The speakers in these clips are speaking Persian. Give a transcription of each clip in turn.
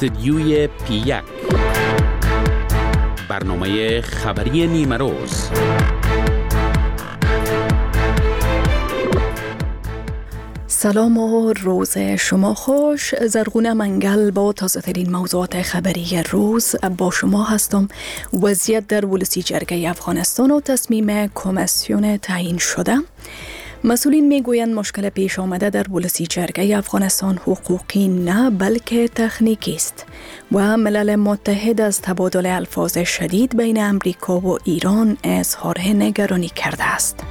استدیوی پی 1، برنامه خبری نیمه روز. سلام و روز شما خوش. زرغونه منگل با تازه ترین موضوعات خبری روز با شما هستم. وضعیت در ولسی جرگه افغانستان و تصمیم کمیسیون تعیین شده. مسئولین میگویند مشکل پیش آمده در ولسی جرگه افغانستان حقوقی نه بلکه تکنیکی است و ملل متحد از تبادل الفاظ شدید بین امریکا و ایران اظهار نگرانی کرده است.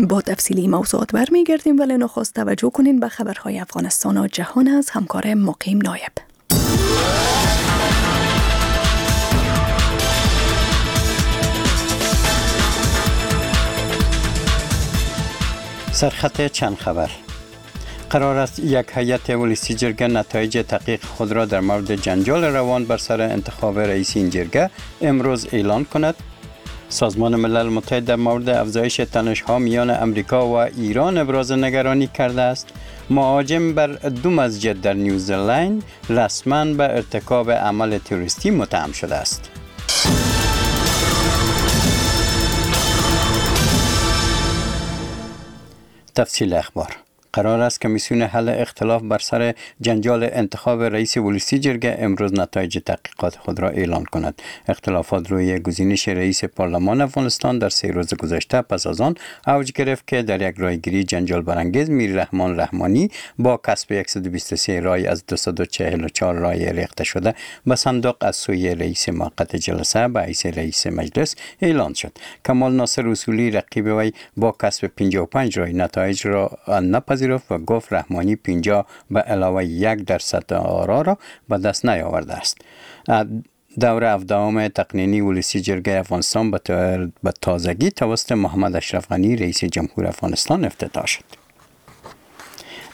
با تفصیلی موضوعات برمیگردیم، ولی نخست توجه کنین به خبرهای افغانستان و جهان از همکار مقیم نایب. سرخط چند خبر. قرار است یک هیئت ولسی جرگه نتایج تحقیق خود را در مورد جنجال روان بر سر انتخاب رئیس این جرگه امروز اعلان کند. سازمان ملل متحد در مورد افزایش تنش‌ها میان امریکا و ایران ابراز نگرانی کرده است. مهاجم بر دو مسجد در نیوزلند رسما به ارتکاب عمل تروریستی متهم شده است. تفصیل اخبار. قرار است کمیسیون حل اختلاف بر سر جنجال انتخاب رئیس ولسی جرگه امروز نتایج تحقیقات خود را اعلان کند. اختلافات روی گزینش رئیس پارلمان افغانستان در 3 روز گذشته پس از آن اوج گرفت که در یک رایگیری جنجال برانگیز میر رحمان رحمانی با کسب 123 رای از 244 رای ریخته شده به صندوق از سوی رئیس موقت جلسه به حیث رئیس مجلس اعلان شد. کمال ناصر اصولی رقیب وی با کسب 55 رای نتایج را نپذیرفت و گفت رحمانی 50 به علاوه 1% آرا را به دست نیاورده است. دور 17 تقنینی ولسی جرگه افغانستان به تازگی توسط محمد اشرف غنی رئیس جمهور افغانستان افتتاح شد.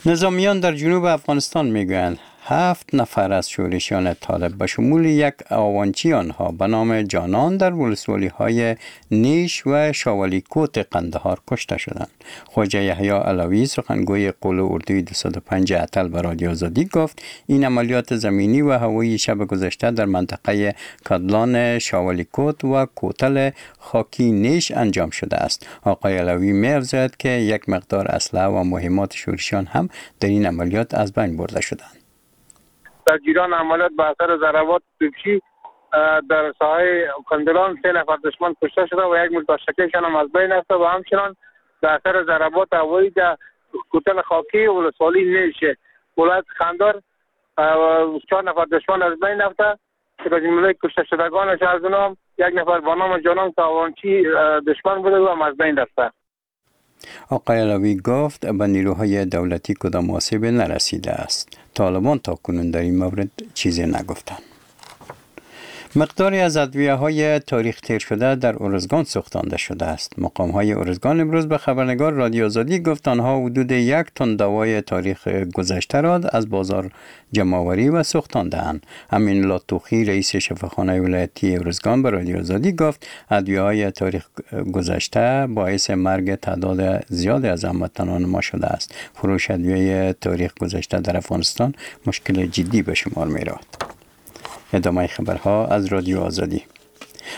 نظامیان در جنوب افغانستان میگویند 7 نفر از شورشیان طالب به شمول یک آوانچی آنها به نام جانان در ولسوالی‌های نیش و شاولیکوت قندهار کشته شدند. خواجه یحیی علوی سخنگوی قول اردوی 205 اتل به رادیو آزادی گفت این عملیات زمینی و هوایی شب گذشته در منطقه کادلان شاولیکوت و کوتل خاکی نیش انجام شده است. آقای علوی می‌افزاید که یک مقدار اسلحه و مهمات شورشیان هم در این عملیات از بین برده شدند. در جریان عملیات به اثر ضربات توپچی در ساحه کندلان 3 نفر دشمن کشته شده و یک متشکلشان هم از بین رفته و همچنان به اثر ضربات هوایی در کوتل خاکی ولسوالی نیش ولایت قندهار 4 نفر دشمن از بین رفته که به جمله کشته شدگانش از اونها یک نفر با نام جانان تاوانچی دشمن بوده و هم از بین رفته. آقای علوی گفت به نیروهای دولتی کدام آسیب نرسیده است. طالبان تا کنون در این مورد چیزی نگفتند. مقداری از ادویه های تاریخ تیر شده در ارزگان سوختانده شده است. مقام های ارزگان امروز به خبرنگار رادیو آزادی گفت آنها حدود 1 تن دوای تاریخ گذشته را از بازار جمع‌آوری و سوختانده‌اند. امین لاتوخی رئیس شفاخانه ولایتی ارزگان به رادیو آزادی گفت ادویه های تاریخ گذشته باعث مرگ تعداد زیادی از هموطنان ما شده است. فروش ادویه تاریخ گذشته در افغانستان مشکل جدی به شمار می رود. ادامه خبرها از رادیو آزادی.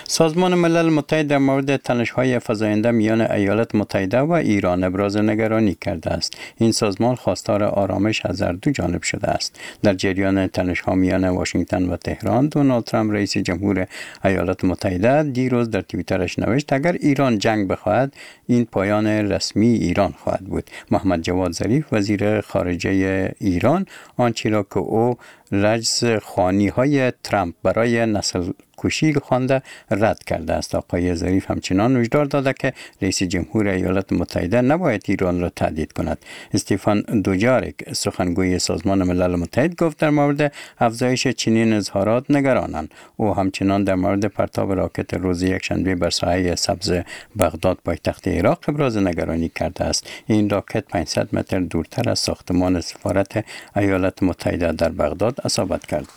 سازمان ملل متحد در مورد تنش‌های فزاینده میان ایالات متحده و ایران ابراز نگرانی کرده است. این سازمان خواستار آرامش از هر دو جانب شده است. در جریان تنش‌ها میان واشنگتن و تهران، دونالد ترامپ رئیس جمهور ایالات متحده دیروز در توییترش نوشت اگر ایران جنگ بخواهد این پایان رسمی ایران خواهد بود. محمد جواد ظریف وزیر خارجه ایران آنچه را که او رجز خوانی‌های ترامپ برای نسل کشی خوانده رد کرده است. آقای ظریف همچنان هشدار داده که رئیس جمهور ایالات متحده نباید ایران را تهدید کند. استیفان دوجارک سخنگوی سازمان ملل متحد گفت در مورد افزایش چنین اظهارات نگرانند. او همچنان در مورد پرتاب راکت روز یکشنبه بر ساحه سبز بغداد پایتخت عراق ابراز نگرانی کرده است. این راکت 500 متر دورتر از ساختمان سفارت ایالات متحده در بغداد اصابت کرد.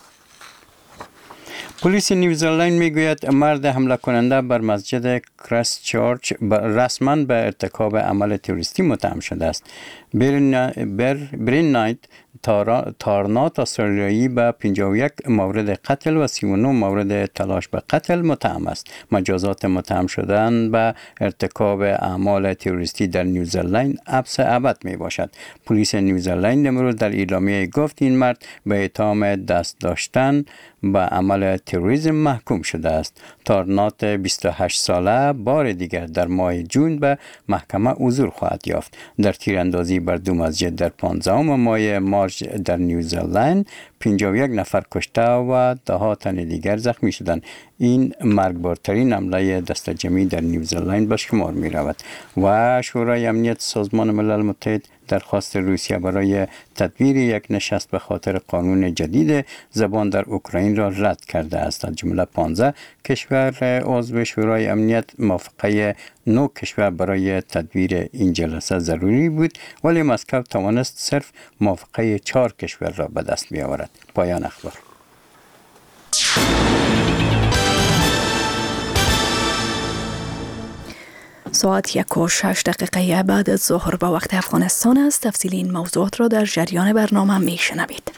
پلیس نیوزلند میگوید مرد حمله کننده بر مسجد کرایست چرچ رسما به ارتکاب عمل تروریستی متهم شده است. برین نایت تارنات استرالیایی به 51 مورد قتل و 39 مورد تلاش به قتل متهم است. مجازات متهم شدن به ارتکاب اعمال تروریستی در نیوزلند حبس ابد می باشد. پلیس نیوزلند امروز در اعلامیه گفت این مرد به اتهام دست داشتن به عمل تروریسم محکوم شده است. تارنات 28 ساله بار دیگر در ماه جون به محکمه حضور خواهد یافت. در تیراندازی بر دو مسجد در 15 ماه مارچ در نیوزلند 51 نفر کشته و ده تن دیگر زخمی شدند. این مرگبارترین حمله دسته‌جمعی در نیوزلند به شمار می رود. و شورای امنیت سازمان ملل متحد درخواست روسیه برای تدبیر یک نشست به خاطر قانون جدید زبان در اوکراین را رد کرده است. از جمله 15 کشور عضو شورای امنیت موافقه 9 کشور برای تدبیر این جلسه ضروری بود، ولی مسکو توانست صرف موافقه 4 کشور را به دست بیاورد. پایان اخبار. ساعت 1:06 بعد از ظهر با وقت افغانستان است. تفصیل این موضوعات را در جریان برنامه می شنوید.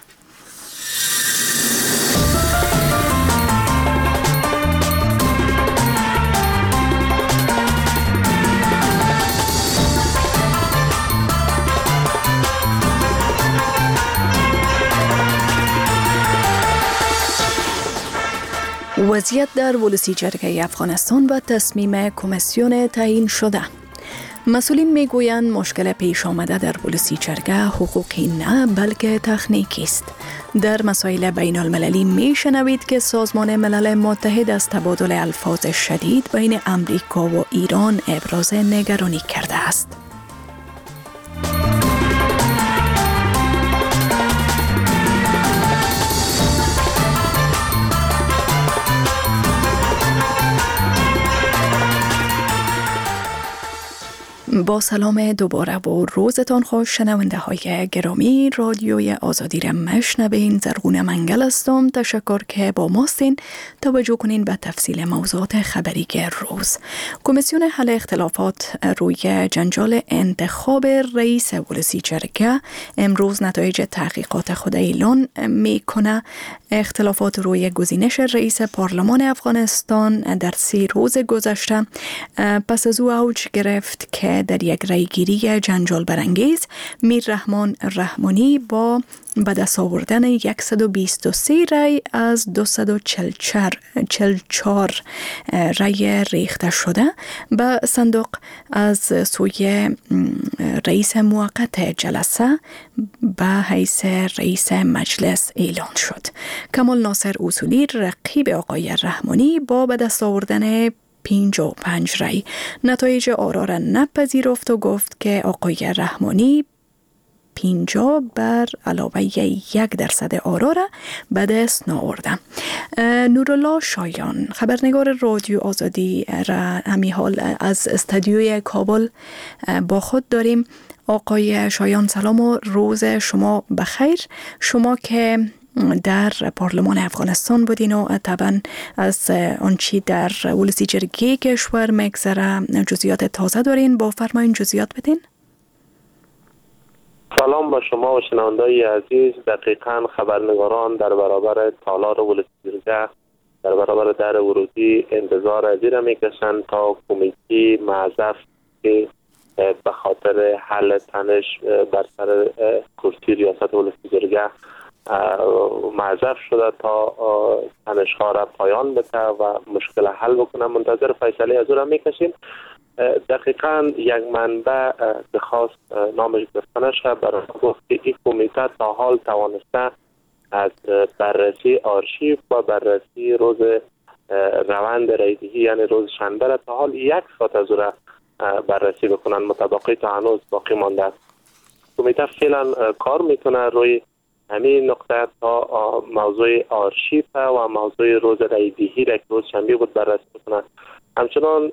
وضعیت در ولسی جرگه افغانستان و تصمیم کمیسیون تعیین شده. مسئولین میگویند مشکل پیش آمده در ولسی جرگه حقوقی نه بلکه تکنیکی است. در مسائل بین المللی میشنوید که سازمان ملل متحد از تبادل الفاظ شدید بین امریکا و ایران ابراز نگرانی کرده است. با سلام دوباره و روزتان خوش شنونده های گرامی، رادیوی آزادی را مشنوین. زرغون منگل هستم. تشکر که با ماستین. توجه کنین به تفصیل موضوعات خبری روز. کمیسیون حل اختلافات روی جنجال انتخاب رئیس ولسی جرگه امروز نتایج تحقیقات خود اعلان میکنه. اختلافات روی گزینش رئیس پارلمان افغانستان در 3 روز گذشته پس از او اوج گرفت که در یک رأیگیری جنجال برانگیز میر رحمان رحمانی با به دست آوردن 123 رأی از 244 رأی ریخته شده به صندوق از سوی رئیس موقت جلسه به حیث رئیس مجلس اعلان شد. کمال ناصر اصولی رقیب آقای رحمانی با به دست آوردن 55 رأی نتایج آرا را نپذیرفت و گفت که آقای رحمانی 50 بر علاوه 1% آرا را به دست نآورده. نورالله شایان خبرنگار رادیو آزادی را همی حال از استودیوی کابل با خود داریم. آقای شایان سلام و روز شما بخیر. شما که در پارلمان افغانستان بودین و طبعا از آنچه در ولسی جرگه کشور میگذره جزئیات تازه دارین، با فرمایین جزئیات بدین. سلام با شما و شنونده‌های عزیز. دقیقاً خبرنگاران در برابر تالار ولسی جرگه در برابر در ورودی انتظار از این میکشند تا کمیته معذف که به خاطر حل تنش بر سر کرسی ریاست ولسی جرگه معذف شده تا تنش‌ها را پایان بده و مشکل حل بکنه. منتظر فیصله از او را میکشیم. دقیقاً یک منبع که خواست نامش گفته نشه برای گفت که این کمیته تا حال توانسته از بررسی آرشیو و بررسی روز روند رای‌دهی یعنی روز شنبه را تا حال 1 ساعت از او را بررسی بکنن. متباقی تا هنوز باقی مانده است. کمیته فعلا کار میکنه روی همین نقطه تا موضوع آرشیو و موضوع روز رای‌دهی را که روز شنبه بود بررسی بکنن. همچنان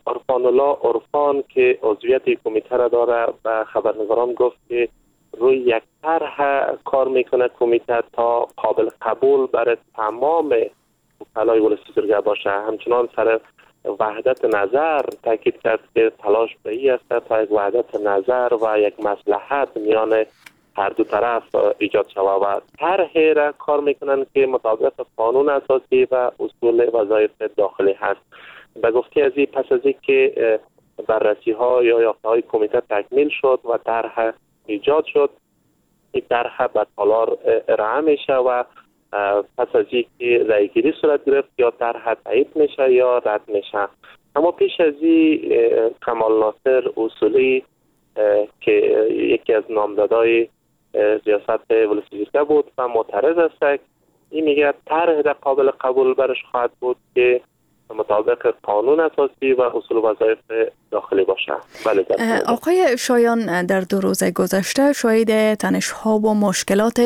عرفان الله عرفان که عضویت کمیته را داره به خبرنگاران گفت که روی یک طرح کار میکنه کمیته تا قابل قبول برای تمام وکلای ولسی جرگه باشه. همچنان سر وحدت نظر تاکید کرد که تلاش به این است تا یک وحدت نظر و یک مصلحت میان هر دو طرف ایجاد شود و طرح را کار میکنن که مطابق قانون اساسی و اصول وظایف داخلی هست. به گفته از این پس از اینکه بررسی ها یا یافته های کمیته تکمیل شد و طرح ایجاد شد، این طرح به تالار ارائه میشه و پس از اینکه رأیگیری صورت گرفت یا طرح تایید میشه یا رد میشه. اما پیش از این کمال ناصر اصولی که یکی از نامزدهای ریاست ولسی جرگه بود و معترض است، این میگه طرح را قابل قبول برش خواهد بود که مطابق قانون اساسی و اصول وظایف داخلی باشه. بله آقای شایان، در 2 روز گذشته شاهد تنش‌ها و مشکلات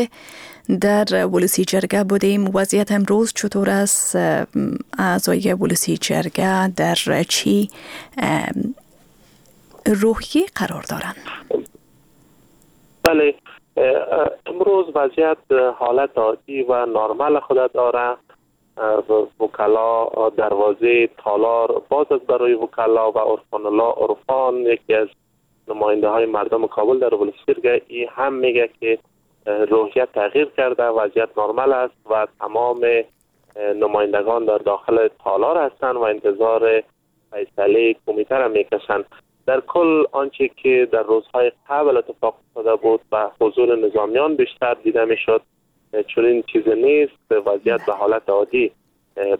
در ولسی جرگه بودیم. وضعیت امروز چطور است؟ اعضای ولسی جرگه در چی روحیه قرار دارند؟ بله، امروز وضعیت حالت عادی و نرمال خود داره. وکلا دروازه تالار باز است برای وکلا و عرفان الله عرفان یکی از نماینده های مردم کابل در ولسی جرگه ای هم میگه که روحیه تغییر کرده، وضعیت نرمال است و تمام نمایندگان در داخل تالار هستند و انتظار فیصله کمیته را میکشند. در کل آنچه که در روزهای قبل اتفاق افتاده بود و حضور نظامیان بیشتر دیده میشد چنین چیز نیست. وضعیت به حالت عادی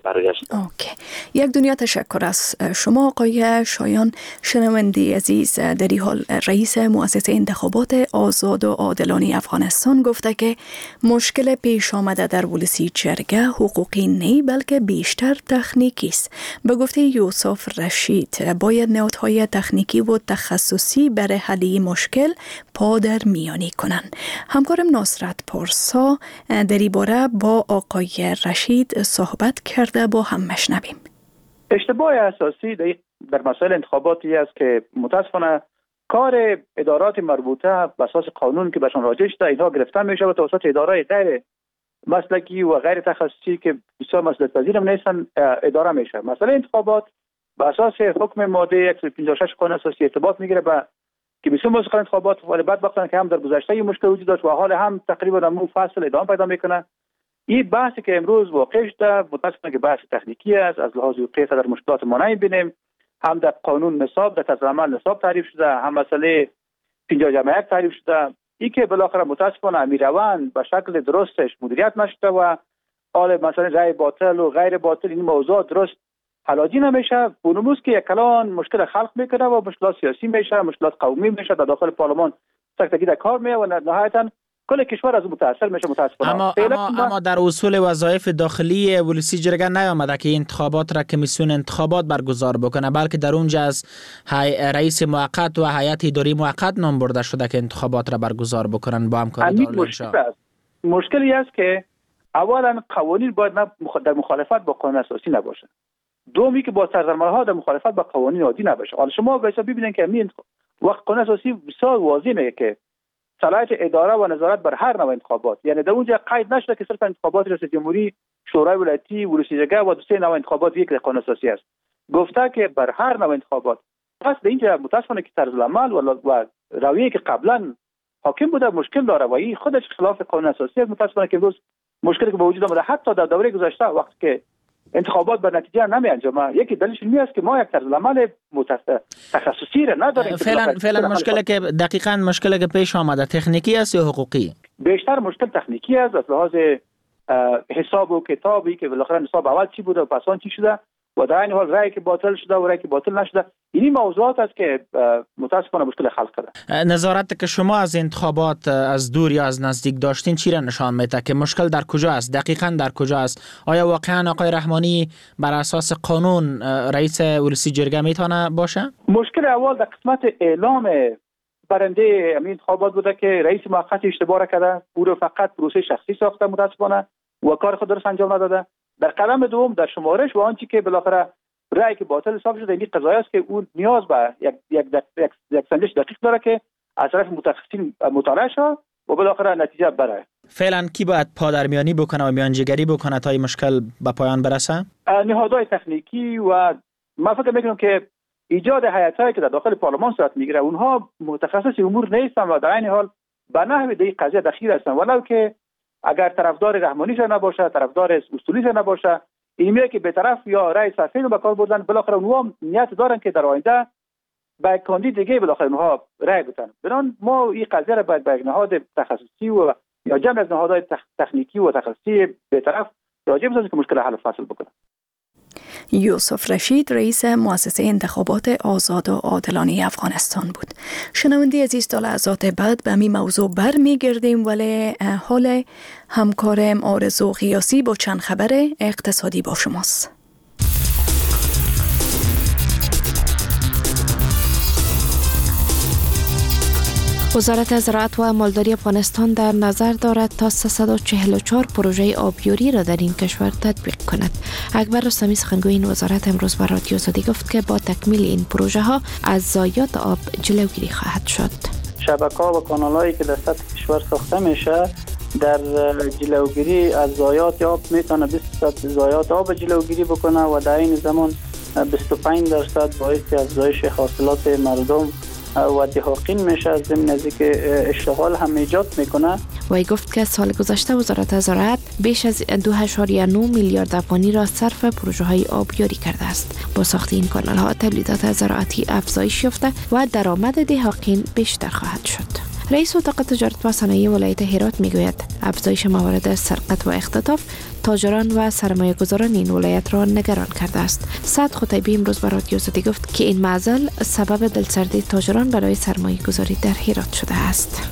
برگشت. اوکی. یک دنیا تشکر از شما آقای شایان. شنونده عزیز، در این حال رئیس مؤسسه انتخابات آزاد و عادلانه افغانستان گفته که مشکل پیش آمده در ولسی جرگه حقوقی نه بلکه بیشتر تکنیکی است. به گفته یوسف رشید باید نهادهای تکنیکی و تخصصی برای حل مشکل پا در میانی کنند. همکارم نصرت پارسا در این باره با آقای رشید صحبت کرده، با هم مشنویم. اشتباه اساسی در مسائل انتخاباتی است که متاسفانه کار ادارات مربوطه به اساس قانون که بهشان راجع شده اینها گرفته میشه و توسط ادارهای غیر مسلکی و غیر تخصصی که بسیار مسئولیت پذیر هم نیستن اداره میشه. مسئله انتخابات به اساس حکم ماده 156 قانون اساسی ارتباط میگیره به که بسیار مسئله انتخابات، ولی بدبختانه که هم در گذشته این مشکل وجود داشت و حال هم تقریبا در فصل ادامه پیدا میکنه. این بحثی که امروز واقع شده متاسفانه که بحث تکنیکی است، از لحاظ حقوقی در مشکلات ما نمی‌بینیم. هم در قانون نصاب در طرز عمل نصاب تعریف شده، هم مسئله 50+1 تعریف شده. این که بالاخره متاسفانه امیروند به شکل درستش مدیریت نشده و حال مثلا رأی باطل و غیر باطل این موضوع درست حلاجی نمیشه. بونموس که یک کلان مشکل خلق میکنه و مشکلات سیاسی میشه، مشکلات قومی میشه، در داخل پارلمان سکتگی در کار میه و نهایتا کل کشور از متاثر میشه متاسفانه. اما در اصول وظایف داخلی ولسی جرگه نیامده که انتخابات را کمیسیون انتخابات برگزار بکنه، بلکه در اونجا از رئیس موقت و هیئت اداری موقت نام برده شده که انتخابات را برگزار بکنن با همکاری دارالانشا. مشکلی است که اولا قوانین باید در مخالفت با قانون اساسی نباشه، دومی که با طرزالعمل‌ها در مخالفت با قوانین عادی نباشه. حالا شما ببینید که وقت قانون اساسی بسیار واضح میگه که صلاحیت اداره و نظارت بر هر نوع انتخابات، یعنی در اونجا قید نشده که صرف انتخابات ریاست جمهوری، شورای ولایتی، ولسی جرگه و دو سه نوع انتخابات یک قانون اساسی است. گفته که بر هر نوع انتخابات. پس در اینجا متاسفانه که طرز العمل و رویه که قبلا حاکم بوده مشکل داره و این خودش خلاف قانون اساسی است. متاسفانه که امروز مشکلی که به وجود آمده حتی در دوره گذشته وقتی که انتخابات به نتیجه نمی انجامه، یکی دلیلش این است که ما یک طرز عمل تخصصی را نداریم. فعلا مشکل که دقیقاً مشکل که پیش آمده تکنیکی است یا حقوقی؟ بیشتر مشکل تکنیکی است، از لحاظ حساب و کتابی که بالاخره حساب اول چی بوده و پس آن چی شده و در این حال رأی که باطل شده و رأی که باطل نشده، این موضوعات است که متاسفانه مشکل خلق کرده. نظارت که شما از انتخابات از دور یا از نزدیک داشتین چی را نشان میده که مشکل در کجا است؟ دقیقاً در کجا است؟ آیا واقعا آقای رحمانی بر اساس قانون رئیس ولسی جرگه میتونه باشه؟ مشکل اول در قسمت اعلام برنده انتخابات بوده که رئیس موقت اشتباه کرده، او رو فقط پروسه شخصی ساخته متاسفانه و کار خود درست انجام نداده. در قدم دوم در شمارش و آنچه که بالاخره رأی که باطل حساب شده، این قضایه است که اون نیاز به یک یک یک سنجش دقیق داره که از طرف متخصصین مطالعه شود و بالاخره نتیجه برای. فعلا کی باید پادرمیانی بکنه و میانجیگری بکنه تا این مشکل به پایان برسه؟ نهادهای تکنیکی و من فکر میکنم که ایجاد هیئت‌هایی که در داخل پارلمان صورت میگیره اونها متخصص امور نیستن و در عین حال به نحو در قضیه دخیل هستن، ولو که اگر طرفدار رحمانی نباشه، طرفدار اصولی نباشه، این که به طرف یا رأی سفید رو به کار بردن، بالاخره اونها نیت دارن که در آینده به کاندید دیگه بالاخره اونها رأی بدن. بنابراین ما این قضیه را باید به یک نهاد تخصصی و یا جمع از نهادهای تکنیکی و تخصصی به طرف راجع بسازیم که مشکل حل و فصل بکنه. یوسف رشید، رئیس مؤسسه انتخابات آزاد و عادلانه افغانستان بود. شنونده عزیز، تا لحظات بعد به این موضوع برمیگردیم، ولی حال همکارم آرزو غیاثی با چند خبر اقتصادی با شماست. وزارت زراعت و مالداری افغانستان در نظر دارد تا 344 پروژه آبیاری را در این کشور تطبیق کند. اکبر رستمی، سخنگوی این وزارت، امروز به رادیو آزادی گفت که با تکمیل این پروژه ها از ضایعات آب جلوگیری خواهد شد. شبکه‌ها و کانال‌هایی که در سطح کشور ساخته میشه در جلوگیری از ضایعات آب میتونه 20% ضایعات آب جلوگیری بکنه و در این زمان 25% باعث افزایش حاصلات مردم و دهاقین میشه، از ضمن از اینکه اشتغال هم ایجاد میکنه. وی گفت که سال گذشته وزارت زراعت بیش از 2.9 میلیارد افغانی را صرف پروژه های آبیاری کرده است. با ساخت این کانال ها تولیدات زراعتی افزایش یافته و درآمد دهاقین بیشتر خواهد شد. رئیس اتاق تجارت و صنایع ولایت هرات میگوید افزایش موارد سرقت و اختطاف تاجران و سرمایه‌گذاران این ولایت را نگران کرده است. سعد خطیبی امروز به رادیو آزادی گفت که این معضل سبب دلسردی تاجران برای سرمایه‌گذاری در هرات شده است.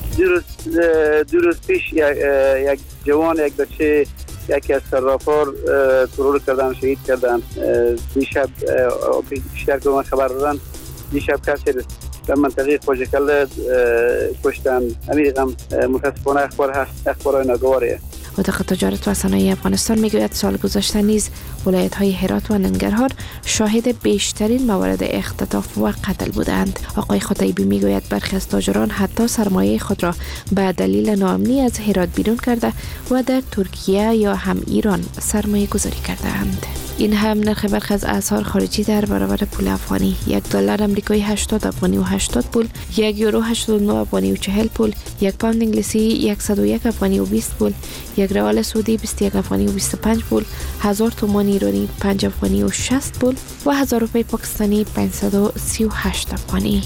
دو روز پیش یک جوان، یک بچه، یکی از صرافان ترور کردن، شهید کردن. دیشب بیشتر که من خبر دادن، دیشب کسی در منطقه خوشکل کشتن. امیر غم متاسفانه اخبار هست، اخبارهای ناگواریه. اتاق تجارت و صنایع افغانستان میگوید سال گذشته نیز ولایت های هرات و ننگرهار شاهد بیشترین موارد اختطاف و قتل بودند. آقای خطیبی میگوید برخی از تاجران حتی سرمایه خود را به دلیل ناامنی از هرات بیرون کرده و در ترکیه یا هم ایران سرمایه گذاری کرده‌اند. این هم نرخ برخی از اسعار خارجی در برابر پول افغانی: $1 امریکایی 80 افغانی و 80 پول، 1 یورو 89 افغانی و 40 پول، 1 پوند انگلیسی 101 افغانی و 20 پول، 1 ریال سعودی 21 افغانی و 25 پول، 1000 تومان ایرانی 5 افغانی و 60 پول و 1000 روپیه پاکستانی 538 افغانی.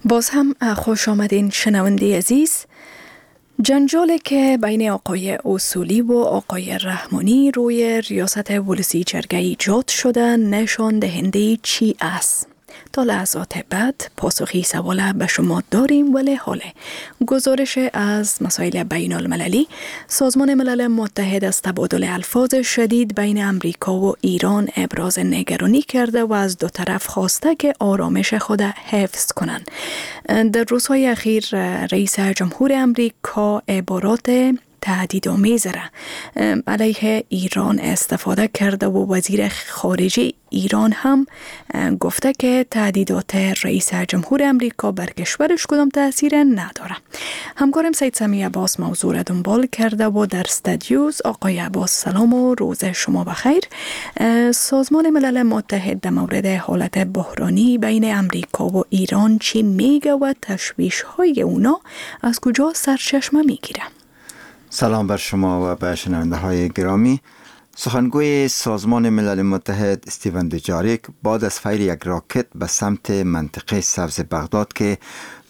باز هم خوش آمدین شنونده عزیز. جنجالی که بین آقای اصولی و آقای رحمانی روی ریاست ولسی جرگه ایجاد شده نشان دهنده چی است؟ تا لحظات بعد پاسخی سوال به شما داریم، ولی حاله گزارش از مسائل بین المللی. سازمان ملل متحد از تبادل الفاظ شدید بین امریکا و ایران ابراز نگرانی کرده و از دو طرف خواسته که آرامش خود حفظ کنند. در روزهای اخیر رئیس جمهور امریکا عبارات تهدیدآمیز را علیه ایران استفاده کرده و وزیر خارجه ایران هم گفته که تهدیدات رئیس جمهور امریکا بر کشورش کدام تاثیر نداره. همکارم سید سمیع عباس موضوع را دنبال کرده و در استودیوز. آقای عباس سلام و روز شما بخیر. سازمان ملل متحد در مورد حالت بحرانی بین امریکا و ایران چی میگه و تشویش های اونا از کجا سرچشمه میگیره؟ سلام بر شما و به شنونده های گرامی. سخنگوی سازمان ملل متحد استیون دوجاریک بعد از فیر یک راکت به سمت منطقه سبز بغداد که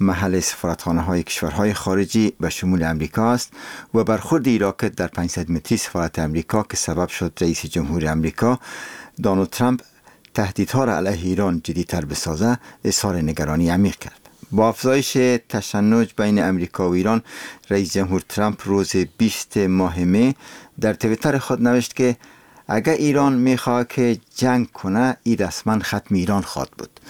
محل سفارتخانه های کشورهای خارجی به شمول امریکا است و برخورد این راکت در 500 متری سفارت امریکا که سبب شد رئیس جمهور امریکا دونالد ترامپ تهدیدها را علیه ایران جدی‌تر بسازه، اظهار نگرانی عمیق کرد. با افزایش تشنج بین امریکا و ایران، رئیس جمهور ترامپ روز 20 ماه می در توییتر خود نوشت که اگر ایران میخواد که جنگ کنه، این رسما ختم ایران خواهد بود.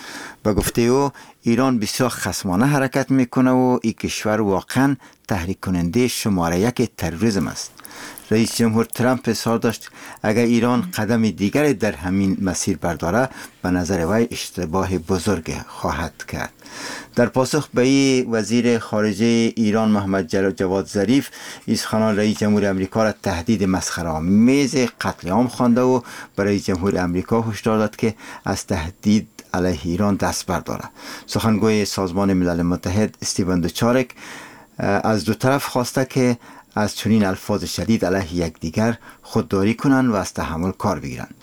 به گفته او ایران بسیار خصمانه حرکت میکنه و این کشور واقعا تحریک کننده شماره یک تروریسم است. رئیس جمهور ترامپ اظهار داشت اگر ایران قدم دیگر در همین مسیر برداره به نظر وی اشتباه بزرگ خواهد کرد. در پاسخ به این وزیر خارجه ایران محمد جواد ظریف سخنان رئیس جمهور امریکا را تهدید مسخره‌آمیز قتل عام خوانده و برای جمهور امریکا هشدار داد که از تهدید علیه ایران دست بردارد. سخنگوی سازمان ملل متحد استیون دوچارک از دو طرف خواسته که از چنین الفاظ شدید علیه یکدیگر خودداری کنند و از تحمل کار بگیرند.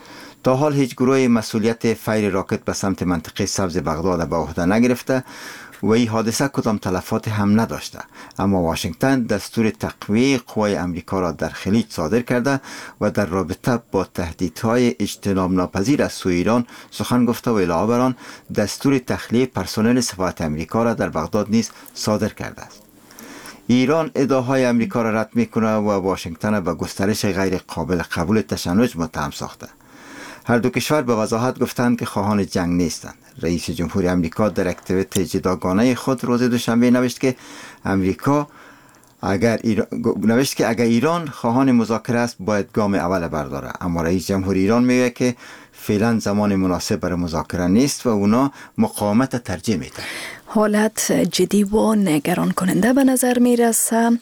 تا حال هیچ گروه مسئولیت فیر راکت به سمت منطقه سبز بغداد به عهده نگرفته و این حادثه کدام تلفات هم نداشته، اما واشنگتن دستور تقویه قوای امریکا را در خلیج صادر کرده و در رابطه با تهدیدهای اجتناب ناپذیر از سوی ایران سخن گفته و علاوه بر آن دستور تخلیه پرسنل سفارت امریکا را در بغداد نیز صادر کرده است. ایران ادعاهای امریکا را رد میکنه و واشنگتن به گسترش غیر قابل قبول تشنج متهم ساخته. هر دو کشور به وضاحت گفتند که خواهان جنگ نیستند. رئیس جمهور امریکا در یک توییت جداگانه خود روز دوشنبه نوشت که امریکا اگر ایران خواهان مذاکره است باید گام اول برداره، اما رئیس جمهور ایران میگه که فعلا زمان مناسب برای مذاکره نیست و اونا مقاومت ترجیح میدن. حالت جدی و نگران کننده به نظر میرسه.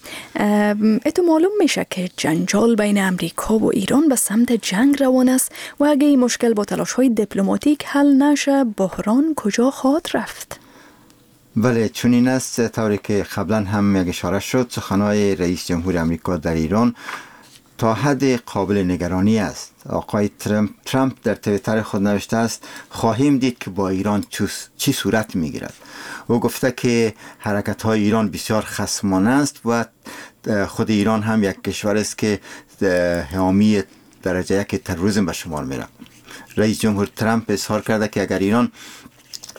اتو معلوم میشه که جنجال بین امریکا و ایران به سمت جنگ روان است و اگه این مشکل با تلاش های دیپلماتیک حل نشه بحران کجا خواهد رفت؟ بله، چنین است. طوری که قبلا هم یک اشاره شد، سخنهای رئیس جمهور امریکا در ایران تا حد قابل نگرانی است. آقای ترامپ در توییتر خود نوشته است خواهیم دید که با ایران چی صورت میگیرد. او گفته که حرکت های ایران بسیار خصمانه است و خود ایران هم یک کشور است که حامی درجه یک تروریسم به شمار میره. رئیس جمهور ترامپ اظهار کرده که اگر ایران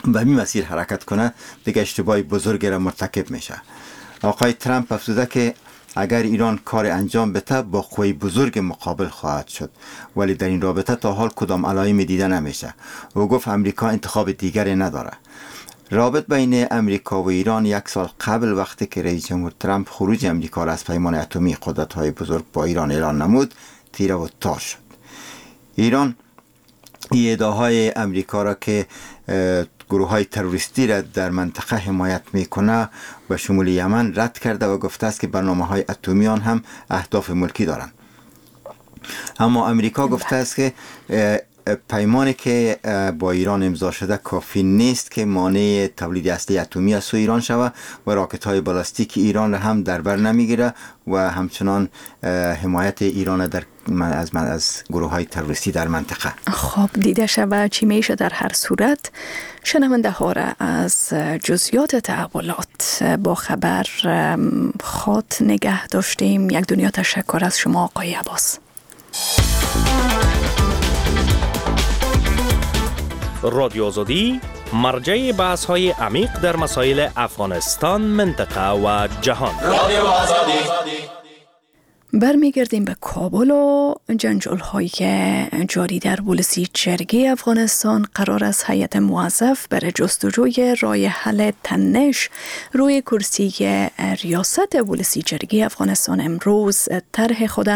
به این مسیر حرکت کنه دیگه اشتباه بزرگی را مرتکب میشه. آقای ترامپ افزوده که اگر ایران کار انجام بده با قوی بزرگ مقابل خواهد شد، ولی در این رابطه تا حال کدام علائم دیده نمیشه. او گفت امریکا انتخاب دیگری نداره. رابط بین امریکا و ایران یک سال قبل وقتی که رئیس جمهور ترامپ خروج امریکا را از پیمان اتمی قدرت‌های بزرگ با ایران اعلان نمود تیره و تار شد. ایران ادعاهای امریکا را که گروه های تروریستی را در منطقه حمایت میکنه و شمول یمن رد کرده و گفته است که برنامه های اتمی آن هم اهداف ملکی دارند. اما امریکا گفته است که پیمانی که با ایران امضا شده کافی نیست که مانع تولید اصلی اتمی از سوی ایران شود و راکت های بالاستیک ایران را هم در بر نمیگیره و همچنان حمایت ایران در از گروه های تروریستی در منطقه. خب دیده شود چی میشه. در هر صورت شنونده ها را از جزئیات تحولات با خبر خات نگه داشتیم. یک دنیا تشکر از شما آقای عباس. رادیو آزادی مرجع بحث های عمیق در مسائل افغانستان، منطقه و جهان. رادیو آزادی. برمیگردیم به کابل و جنجال های جاری در ولسی جرگه افغانستان. قرار است هیئت موظف برای جستجوی راه حل تنش روی کرسی ریاست ولسی جرگه افغانستان امروز طرح خود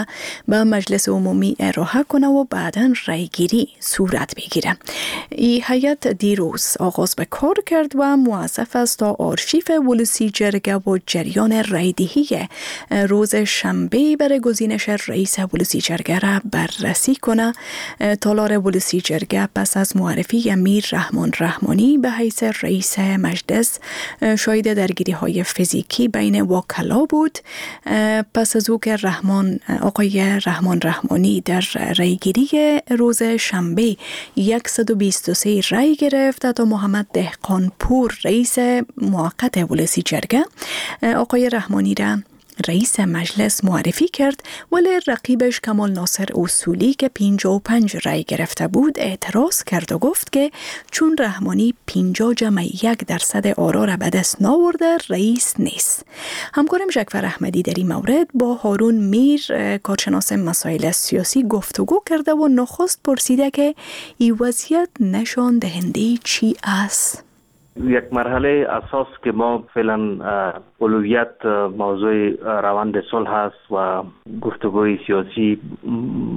به مجلس عمومی ارائه کنه و بعداً رأیگیری صورت بگیره. این هیئت دیروز آغاز به کار کرد و موظف است تا آرشیو ولسی جرگه و جریان رأیدهی روز شنبه برای گزینش رئیس ولسی جرگه را بررسی کنه. تالار ولسی جرگه پس از معرفی امیر رحمان رحمانی به حیث رئیس مجلس شاهد درگیری های فیزیکی بین وکلا بود. پس از او که آقای رحمان رحمانی در رأیگیری روز شنبه 123 رأی گرفت تا محمد دهقان پور رئیس موقت ولسی جرگه آقای رحمانی را رئیس مجلس معرفی کرد، ولی رقیبش کمال ناصر اصولی که 55 رأی گرفته بود اعتراض کرد و گفت که چون رحمانی 50.1% آرا را به دست ناورده رئیس نیست. همکارم جعفر احمدی در این مورد با هارون میر کارشناس مسائل سیاسی گفتگو کرده و نخست پرسیده که این وضعیت نشان دهنده چی است؟ یک مرحله اساس که ما فعلا اولویت موضوع روند صلح است و گفتگوی سیاسی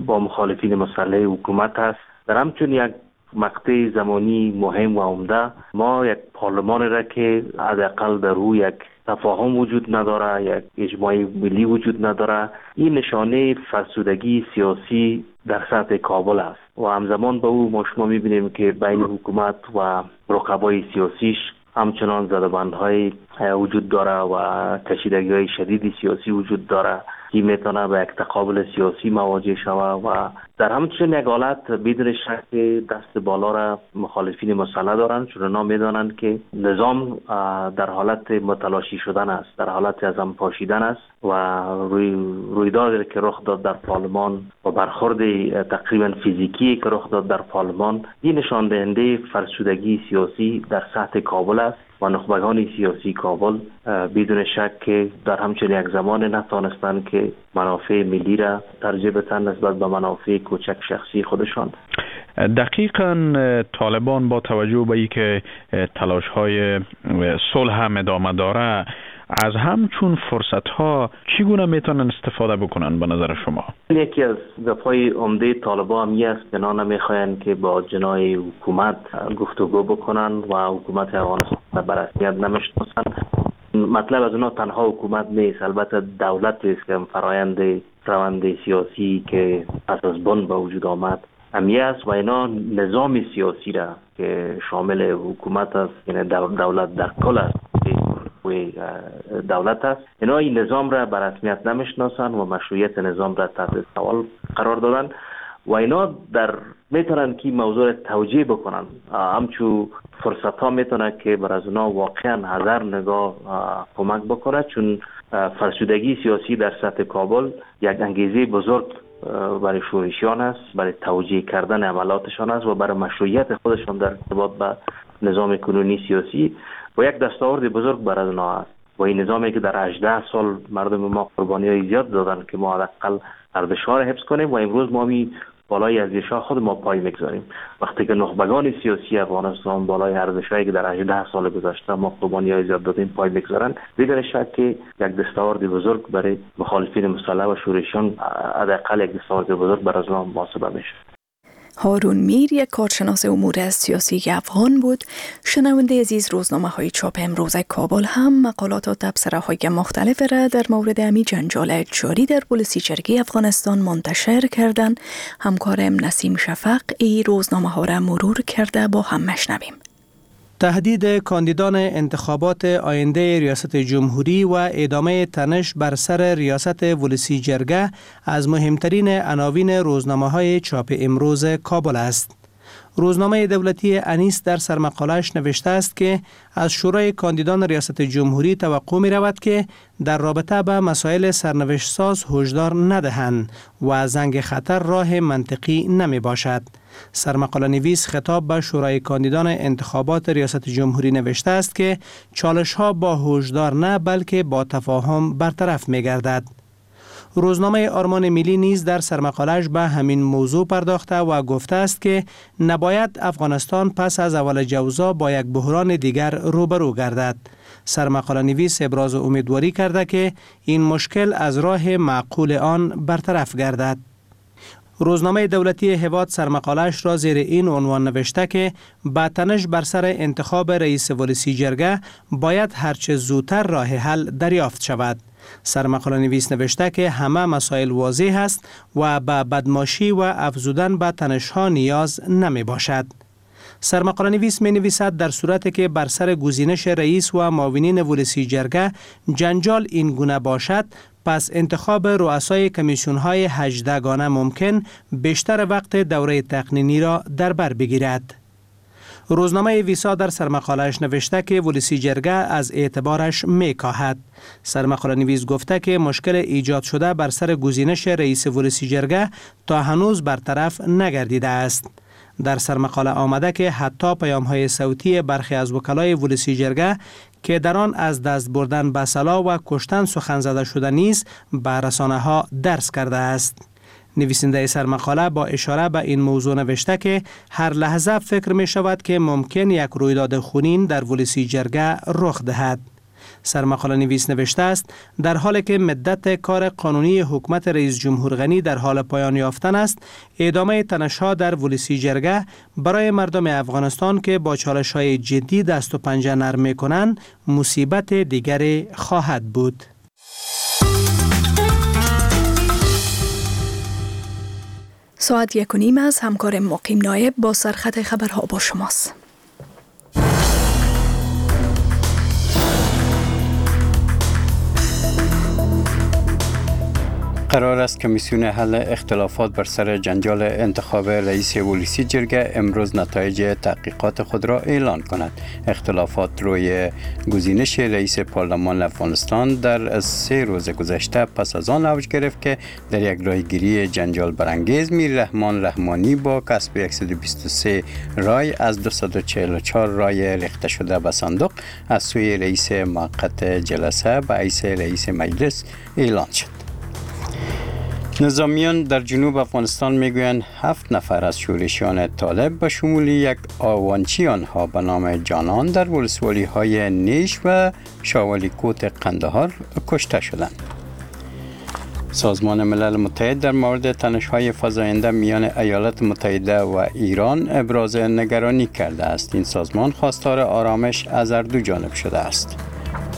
با مخالفین مسلح حکومت است. در همچون یک مقطع زمانی مهم و عمده ما یک پارلمان را که حداقل در او یک تفاهم وجود نداره، یک اجماع ملی وجود نداره، این نشانه فرسودگی سیاسی در سطح کابل است و همزمان با او ما شما میبینیم که بین حکومت و رقبای سیاسیش همچنان زدبندهای وجود داره و کشیدگی‌های شدید سیاسی وجود داره که میتونه به یک تقابل سیاسی مواجه شود و در همچنین یک حالت بدون شک دست بالا را مخالفین مسلح دارند، چون اونا میدانند که نظام در حالت متلاشی شدن است، در حالت از هم پاشیدن است و رویدادی که رخ داد در پارلمان و برخورد تقریبا فیزیکی که رخ داد در پارلمان، این نشان دهنده فرسودگی سیاسی در سطح کابل است و نخبگان سیاسی کابل بدون شک که در همچنین یک زمان نتانستند که منافع ملی را ترجیح بدن نسبت به منافع کوچک شخصی خودشان. دقیقاً طالبان با توجه به اینکه تلاش‌های صلح هم ادامه داره، از همچون فرصت‌ها چگونه میتونن استفاده بکنن به نظر شما؟ یکی از گپ‌های عمده طالبان هم است که اینا نمیخواین که با جناح حکومت گفتگو بکنن و حکومت افغانستان به رسمیت نمیشناسن. مطلب از اونا تنها حکومت نیست، البته دولت است که فرایند روند سیاسی که پس از بن به وجود آمد امیه است و اینا نظام سیاسی را که شامل حکومت است، یعنی دولت در کل است، دولت است، اینا این نظام را به رسمیت نمیشناسن و مشروعیت نظام را تحت سوال قرار دادن و اینا در میتونن که موضوع را توجیه بکنن. همچو فرصت ها میتونه که بر از اونا واقعا هزار نگاه کمک بکنه، چون فرسودگی سیاسی در سطح کابل یک انگیزه بزرگ برای شورشیان است، برای توجیه کردن عملاتشان است و برای مشروعیت خودشان در ارتباط به نظام کنونی سیاسی و یک دستاورد بزرگ بر از اونا است. و این نظامی که در 18 سال مردم ما قربانی های زیاد دادن که ما حداقل ارزش‌ها را حفظ کنیم و امروز ما می بالای ارزش‌ها خود ما پای میگذاریم. وقتی که نخبگان سیاسی افغانستان بالای ارزش‌هایی که در 18 سال گذشته ما قربانی‌های زیاد دادیم پای میگذارن، بدون شک که یک دستاورد بزرگ برای مخالفین مسلح و شورشیان، حداقل یک دستاورد بزرگ برای آنها محاسبه میشه. هارون میر یک کارشناس امور سیاسی افغان بود. شنونده عزیز، روزنامه های چاپ امروز کابل هم مقالات و تبصره های مختلف را در مورد امی جنجال جاری در ولسی جرگه افغانستان منتشر کردند. همکارم نسیم شفق ای روزنامه ها را مرور کرده، با هم مشنویم. تهدید کاندیدان انتخابات آینده ریاست جمهوری و ادامه تنش بر سر ریاست ولسی جرگه از مهمترین عناوین روزنامه‌های چاپ امروز کابل است. روزنامه دولتی انیس در سرمقاله‌اش نوشته است که از شورای کاندیدان ریاست جمهوری توقع می رود که در رابطه به مسائل سرنوشت ساز هشدار ندهند و زنگ خطر راه منطقی نمی باشد. سرمقاله نویس خطاب به شورای کاندیدان انتخابات ریاست جمهوری نوشته است که چالش ها با هشدار نه بلکه با تفاهم برطرف می گردد. روزنامه آرمان ملی نیز در سرمقاله‌اش به همین موضوع پرداخته و گفته است که نباید افغانستان پس از اول جوزا با یک بحران دیگر روبرو گردد. سرمقاله نویس ابراز امیدواری کرده که این مشکل از راه معقول آن برطرف گردد. روزنامه دولتی هواد سرمقاله‌اش را زیر این عنوان نوشته که با تنش بر سر انتخاب رئیس ولسی جرگه باید هرچه زودتر راه حل دریافت شود. سرمقاله نویس نوشته که همه مسائل واضح است و به بدماشی و افزودن به تنش‌ها نیاز نمی باشد. سرمقاله نویس می نویسد در صورتی که بر سر گزینش رئیس و معاونین ولسی جرگه جنجال این گونه باشد، پس انتخاب رؤسای کمیسیون های 18 گانه ممکن بیشتر وقت دوره تقنینی را در بر بگیرد. روزنامه ویسا در سرمقاله‌اش نوشته که ولسی جرگه از اعتبارش میکاهد. سرمقاله نویس گفته که مشکل ایجاد شده بر سر گزینش رئیس ولسی جرگه تا هنوز برطرف نگردیده است. در سرمقاله آمده که حتی پیام‌های صوتی برخی از وکلای ولسی جرگه که در آن از دست بردن به سلاح و کشتن سخن زده شده نیز به رسانه ها درس کرده است. نویسنده سرمقاله با اشاره به این موضوع نوشته که هر لحظه فکر می شود که ممکن یک رویداد خونین در ولسی جرگه رخ دهد. سرمقاله نویس نوشته است در حالی که مدت کار قانونی حکومت رئیس جمهور غنی در حال پایان یافتن است، ادامه تنش‌ها در ولسی جرگه برای مردم افغانستان که با چالش‌های جدی دست و پنجه نرم می‌کنند مصیبت دیگری خواهد بود. ساعت 1:30 از همکار مقیم نایب با سرخط خبرها با شماست. قرار است کمیسیون حل اختلافات بر سر جنجال انتخاب رئیس ولسی جرگه امروز نتایج تحقیقات خود را اعلان کند. اختلافات روی گزینش رئیس پارلمان افغانستان در 3 روز گذشته پس از آن اوج گرفت که در یک رایگیری جنجال برانگیز میر رحمان رحمانی با کسب 123 رای از 244 رای ریخته شده به صندوق از سوی رئیس موقت جلسه به حیث رئیس مجلس اعلان شد. نظامیان در جنوب افغانستان میگویند 7 نفر از شورشیان طالب به شمول یک آوانچی آنها به نام جانان در ولسوالی های نیش و شاوالیکوت قندهار کشته شدند. سازمان ملل متحد در مورد تنش‌های فزاینده میان ایالات متحده و ایران ابراز نگرانی کرده است. این سازمان خواستار آرامش از هر دو جانب شده است.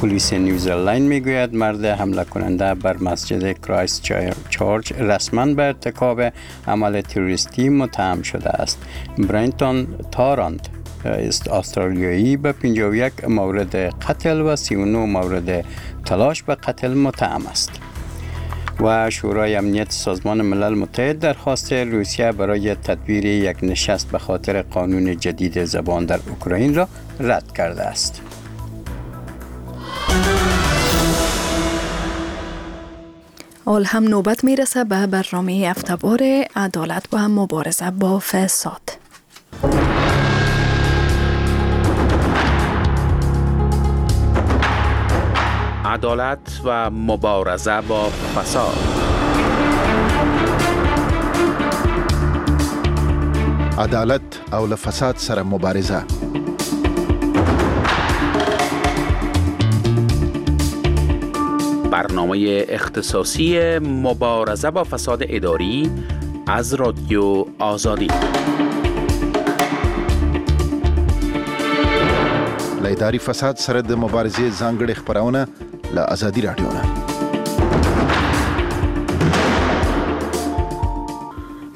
پلیس نیوزلند میگوید مرد حمله کننده بر مسجد کرایست چرچ رسما به ارتکاب عمل تروریستی متهم شده است. برینتون تارانت استرالیایی به 51 مورد قتل و 39 مورد تلاش به قتل متهم است. و شورای امنیت سازمان ملل متحد درخواست روسیه برای تدبیر یک نشست به خاطر قانون جدید زبان در اوکراین را رد کرده است. حال هم نوبت میرسه به برنامه هفته‌وار عدالت و مبارزه با فساد. عدالت و مبارزه با فساد. عدالت او له فساد سره مبارزه. برنامه اختصاصی مبارزه با فساد اداری از رادیو آزادی. له اداري فساد سره د مبارزې ځانګړې خپرونه له ازادي راډیو نه.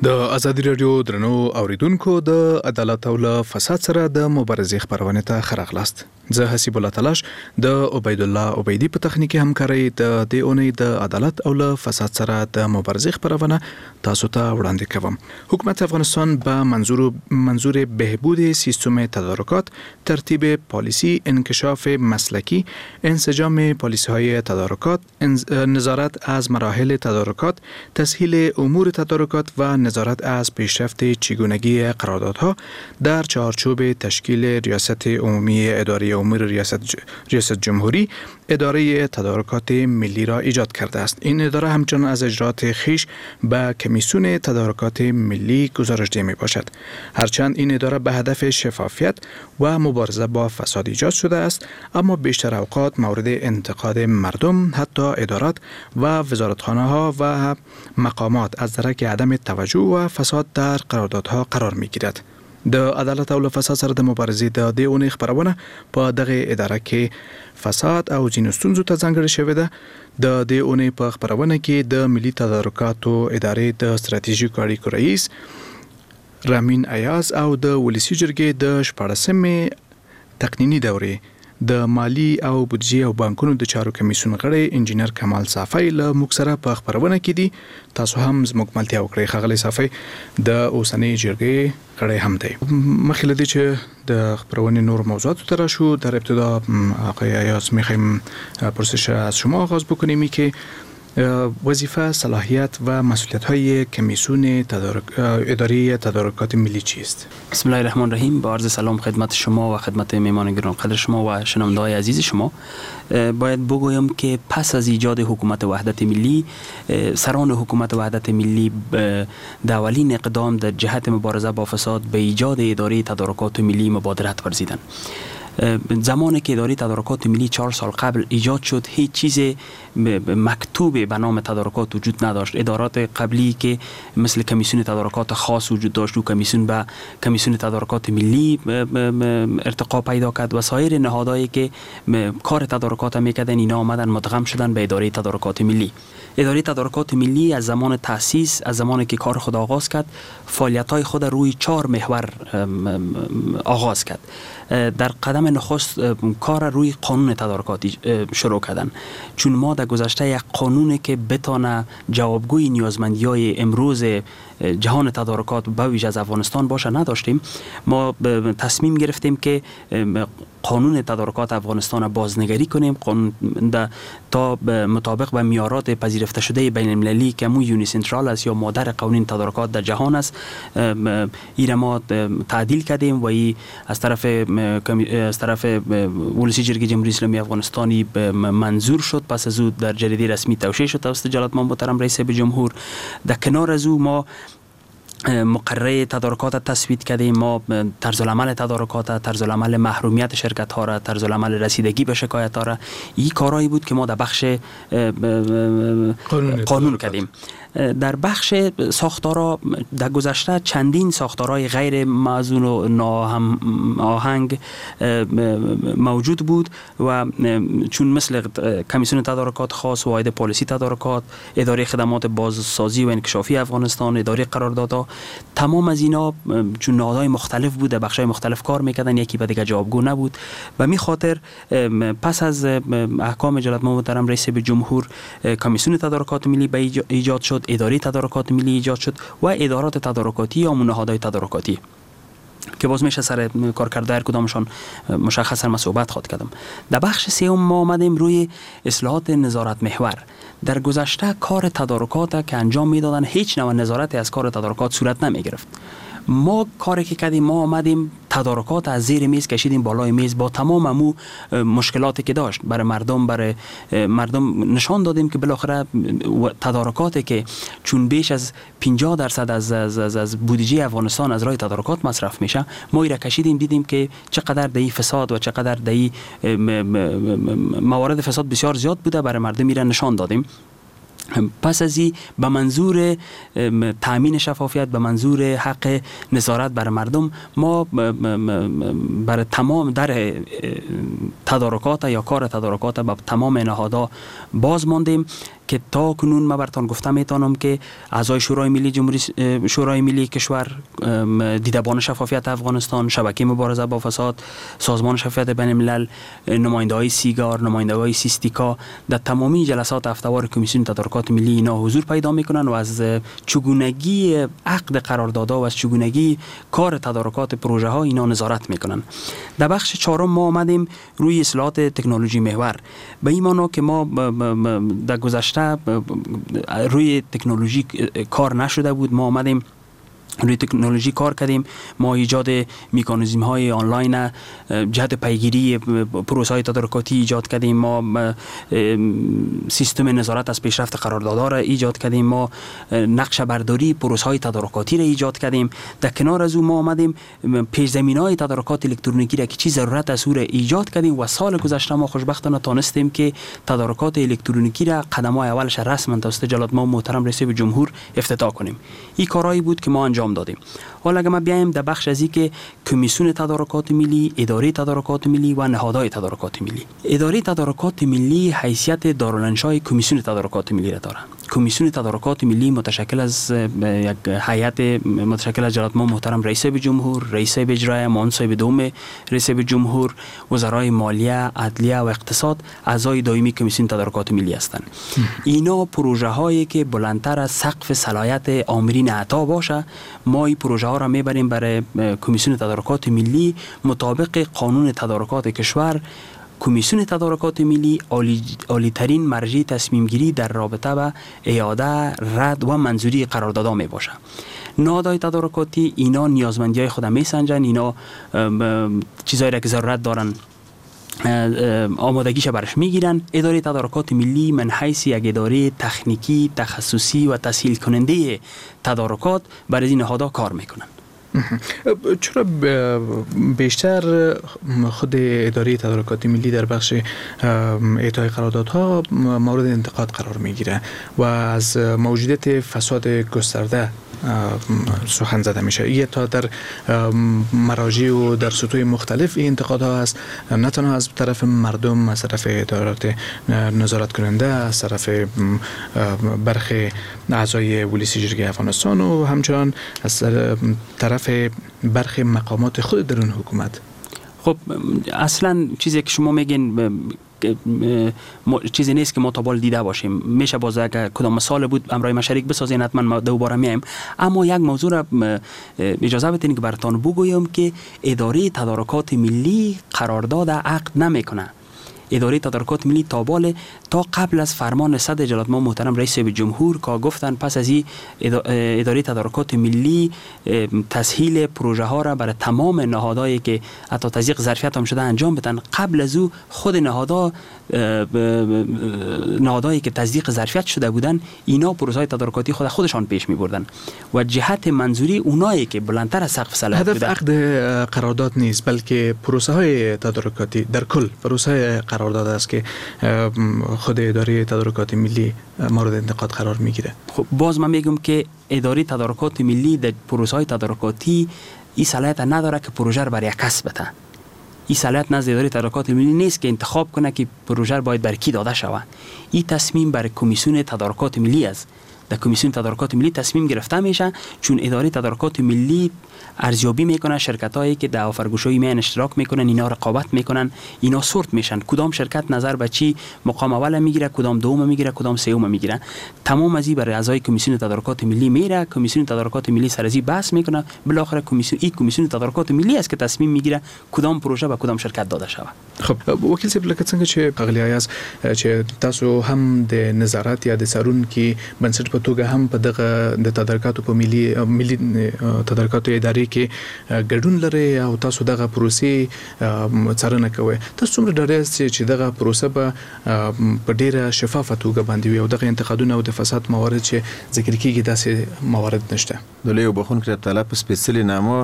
د ازادي راډیو درنو اوریدونکو، د عدالت او له فساد سره د مبارزې خپرونې ته ښه راغلاست. زه حسیب الله تلاش د عبیدالله عبیدي په تخنیکي همکارۍ د دې اونۍ د عدالت او له فساد سره د مبارزې خپرونه تاسو ته وړاندې کوم. حکومت افغانستان به منظور بهبود سیستم تدارکات، ترتیب پالیسی، انکشاف مسلکی، انسجام پالیسی های تدارکات، نظارت از مراحل تدارکات، تسهیل امور تدارکات و نظارت از پیشرفت چگونگی قراردادها در چارچوب تشکیل ریاست عمومی اداره امور ریاست جمهوری اداره تدارکات ملی را ایجاد کرده است. این اداره همچنان از اجرات خیش به کمیسیون تدارکات ملی گزارش ده می باشد. هرچند این اداره به هدف شفافیت و مبارزه با فساد ایجاد شده است، اما بیشتر اوقات مورد انتقاد مردم، حتی ادارات و وزارتخانه ها و مقامات از درک عدم توجه و فساد در قراردادها قرار می گیرد. د عدالت او له فساد سره د مبارزې د دې اونۍ خپرونه په دغه اداره کې فساد او ځینو ستونزو ته ځانګړې شوې ده. د دې اونۍ په خپرونه کې د ملي تدارکاتو ادارې د ستراتیژیکو اړیکو رئیس رامین ایاز او د ولسي جرګې د 16مې تقنیني دورې د مالی او بودجې او بانکونو د چارو کمیسیون غړی انجینر کمال صافی له موږ سره په خپرونه کې دي. تاسو هم زموږ ملتیا وکړئ. ښاغلی صافی د اوسنۍ جرګې غړی هم دی. مخکې له دې چې د خپرونې نور موضوعاتو ته راشو، در ابتدا آقای ایاز میخوایم پرسش از شما آغاز بکنیم که وظیفه، صلاحیت و مسئولیت های کمیسیون اداره تدارکات ملی چیست؟ بسم الله الرحمن الرحیم. با عرض سلام خدمت شما و خدمت میهمان گرانقدر شما و شنونده‌های عزیز شما. باید بگویم که پس از ایجاد حکومت وحدت ملی، سران حکومت وحدت ملی در اولین اقدام در جهت مبارزه با فساد به ایجاد اداره تدارکات ملی مبادرت ورزیدند. زمانی که اداره تدارکات ملی 4 سال قبل ایجاد شد، هیچ چیز مکتوب به نام تدارکات وجود نداشت. ادارات قبلی که مثل کمیسیون تدارکات خاص وجود داشت و کمیسیون به کمیسیون تدارکات ملی ارتقا پیدا کرد و سایر نهادهایی که کار تدارکات میکردن، اینا آمدن مدغم شدن به اداره تدارکات ملی. اداره تدارکات ملی از زمان تأسیس، از زمانی که کار خود آغاز کرد، فعالیت‌های خود روی 4 محور آغاز کرد. در قدم نخست کار روی قانون تدارکات شروع کردن، چون ما در گذشته یک قانونی که بتانه جوابگوی نیازمندی‌های امروز جهان تدارکات به ویژه از افغانستان باشه نداشتیم. ما تصمیم گرفتیم که قانون تدارکات افغانستان بازنگری کنیم، قانون تا مطابق به معیارات پذیرفته شده بین المللی که مو یونی سنترال است یا مادر قوانین تدارکات در جهان است، این ما تعدیل کردیم و ای از طرف ولسی جرگه جمهوری اسلامی افغانستانی منظور شد. پس از او در جریده رسمی توشیح شد توسط جلالتمآب محترم رئیس جمهور. در کنار از او ما مقرره تدارکات تصویب کردیم. ما طرز العمل تدارکات، طرز العمل محرومیت شرکت ها را، طرز العمل رسیدگی به شکایت ها را، این کارهایی بود که ما در بخش قانون کردیم. در بخش ساختارها در گذشته چندین ساختارهای غیر موزون و ناهم آهنگ موجود بود و چون مثل کمیسیون تدارکات خاص، واحد پالیسی تدارکات، اداره خدمات بازسازی و انکشافی افغانستان، اداره قراردادها، تمام از اینا چون نهادهای مختلف بود، در بخش‌های مختلف کار میکردن، یکی به دیگه جوابگو نبود. به می خاطر پس از احکام جلالتمآب محترم رئیس جمهور، کمیسیون تدارکات ملی به ایجاد شد، اداره تدارکات ملی ایجاد شد و ادارات تدارکاتی یا نهادهای تدارکاتی که باز میشه سر کار کرده هر کدامشان مشخصا ما صحبت خواد کردم. در بخش سوم ما آمدیم روی اصلاحات نظارت محور. در گذشته کار تدارکات که انجام میدادن هیچ نوع نظارتی از کار تدارکات صورت نمی گرفت. ما کاری که کردیم، ما آمدیم تدارکات از زیر میز کشیدیم بالای میز با تمام امو مشکلاتی که داشت برای مردم، برای مردم نشان دادیم که بالاخره تدارکاتی که چون بیش از 50% از بودجه افغانستان از راه تدارکات مصرف میشه، ما ایره کشیدیم، دیدیم که چقدر در فساد و چقدر در موارد فساد بسیار زیاد بوده، برای مردم ایره نشان دادیم. پس از این به منظور تامین شفافیت، به منظور حق نظارت بر مردم، ما بر تمام در تدارکات یا کار تدارکات به تمام نهادها باز ماندیم که تا کنون ما براتون گفته میتونم که اعضای شورای ملی جمهوری شورای ملی کشور، دیدبان شفافیت افغانستان، شبکه مبارزه با فساد، سازمان شفافیت بین الملل، نماینده‌های سیگار، نماینده‌های سیستیکا در تمامی جلسات هفته‌وار کمیسیون تدارکات ملی اینا حضور پیدا میکنن و از چگونگی عقد قراردادها و از چگونگی کار تدارکات پروژه ها اینا نظارت میکنن. در بخش چهارم ما آمدیم روی اصلاحات تکنولوژی محور، به این معنا که ما در گذشته روی تکنولوژی کار نشده بود، ما آمدیم روی تکنولوژی کار کردیم. ما ایجاد میکانیزم های آنلاین جهت پیگیری پروسه های تدارکاتی ایجاد کردیم، ما سیستم نظارت از پیشرفت قراردادها را ایجاد کردیم، ما نقشه برداری پروسه های تدارکاتی را ایجاد کردیم. در کنار از او ما آمدیم پیش زمینه های تدارکات الکترونیکی را که چی ضرورت است او را ایجاد کردیم و سال گذشته ما خوشبختانه تانستیم که تدارکات الکترونیکی را قدم های اولش رسما توسط جلالتمآب محترم رئیس جمهور افتتاح کنیم. این کارهایی بود که ما انجام دادیم. حالا اگه ما بیایم در بخش از که کمیسیون تدارکات ملی، اداره تدارکات ملی و نهادهای تدارکات ملی. اداره تدارکات ملی حیثیت دارالانشای کمیسیون تدارکات ملی را دارد. کمیسیون تدارکات ملی متشکل از یک هیئت متشکل از جلالتمآب محترم رئیس جمهور، رئیس اجرایه، معاون صاحب دوم رئیس جمهور، وزرای مالیه، عدلیه و اقتصاد اعضای دائمی کمیسیون تدارکات ملی هستند. اینا پروژه هایی که بلندتر از سقف صلاحیت آمرین عطا باشه، ما این پروژه ها را میبریم برای کمیسیون تدارکات ملی مطابق قانون تدارکات کشور. کمیسیون تدارکات ملی عالی ترین مرجع تصمیم گیری در رابطه با اعاده، رد و منظوری قراردادها می باشه. نهادهای تدارکاتی اینا نیازمندی های خود می سنجن، اینا چیزایی را که ضرورت دارن آمادگیش برش میگیرن. اداره تدارکات ملی من حیث یک اداره تکنیکی، تخصصی و تسهیل کننده تدارکات برای این نهادها کار میکنن. چرا بیشتر خود اداره تدارکات ملی در بخش اعطای قراردادها مورد انتقاد قرار میگیره و از موجودیت فساد گسترده سخن زده میشه؟ یه تا در مراجع و در سطوح مختلف این انتقادها هست، نه تنها از طرف مردم، از طرف ادارات نظارت کننده، از طرف برخی اعضای ولسی جرگه افغانستان و همچنان از طرف برخی مقامات خود درون حکومت. خب اصلا چیزی که شما میگین چیزی نیست که ما تا بال دیده باشیم. میشه باز اگر کدام مثال بود امرای مشارک بسازین حتما ما دوباره میایم. اما یک موضوع را اجازه بدین که براتان بگویم که اداره تدارکات ملی قرارداد عقد نمیکنه. اداره تدارکات ملی تا بال تا قبل از فرمان صدر جلالت ما محترم رئیس جمهور که گفتن پس از این اداره تدارکات ملی تسهیل پروژه ها را برای تمام نهادهایی که حتی تضییق ظرفیت هم شده انجام بدن، قبل از او خود نهادهایی که تضییق ظرفیت شده بودن اینا پروژه های تدارکاتی خودشان پیش می بردن و جهت منظوری اونایی که بلندتر از سقف صلاحیت بودن. هدف عقد قرارداد نیست، بلکه پروژه های تدارکاتی در کل پروژه های قرارداد است که خود اداره تدارکات ملی مورد انتقاد قرار میگیره. خب باز من میگم که اداره تدارکات ملی در پروژه های تدارکاتی این صلاحیت نداره که پروژه رو برای کس بده. این صلاحیت نزد اداره تدارکات ملی نیست که انتخاب کنه که پروژه باید بر کی داده شود. این تصمیم بر کمیسیون تدارکات ملی است. در کمیسیون تدارکات ملی تصمیم گرفته میشه، چون اداره تدارکات ملی ارزیابی میکنه شرکت هایی که در آفرگوشایی میان اشتراک میکنن، اینا رقابت میکنن، اینا سورت میشن، کدام شرکت نظر به چی مقام اول میگیره، کدام دوم میگیره، کدام سوم میگیره. تمام از این برای اعضای کمیسیون تدارکات ملی میره، کمیسیون تدارکات ملی سر از این بحث میکنه، بالاخره کمیسیون تدارکات ملی است که تصمیم میگیره کدام پروژه به کدام شرکت داده شود. خب وکیل صاحب لکه څنګه چې ښاغلی ایاز چې تاسو هم د نظارت یا د څارونکي بنسټ په توګه هم په دغه د تدارکاتو په ملي تدارکاتو ادارې کې ګډون لرئ او تاسو دغه پروسې څارنه کوئ، تاسو څومره ډاډه یاست چې دغه پروسه به په ډیره شفافه توګه باندې وي او دغه انتقادونه او د فساد موارد چې ذکر کیږي داسې موارد نشته؟ د لوی بخښونکي رب تعالی په سپېڅلي نامه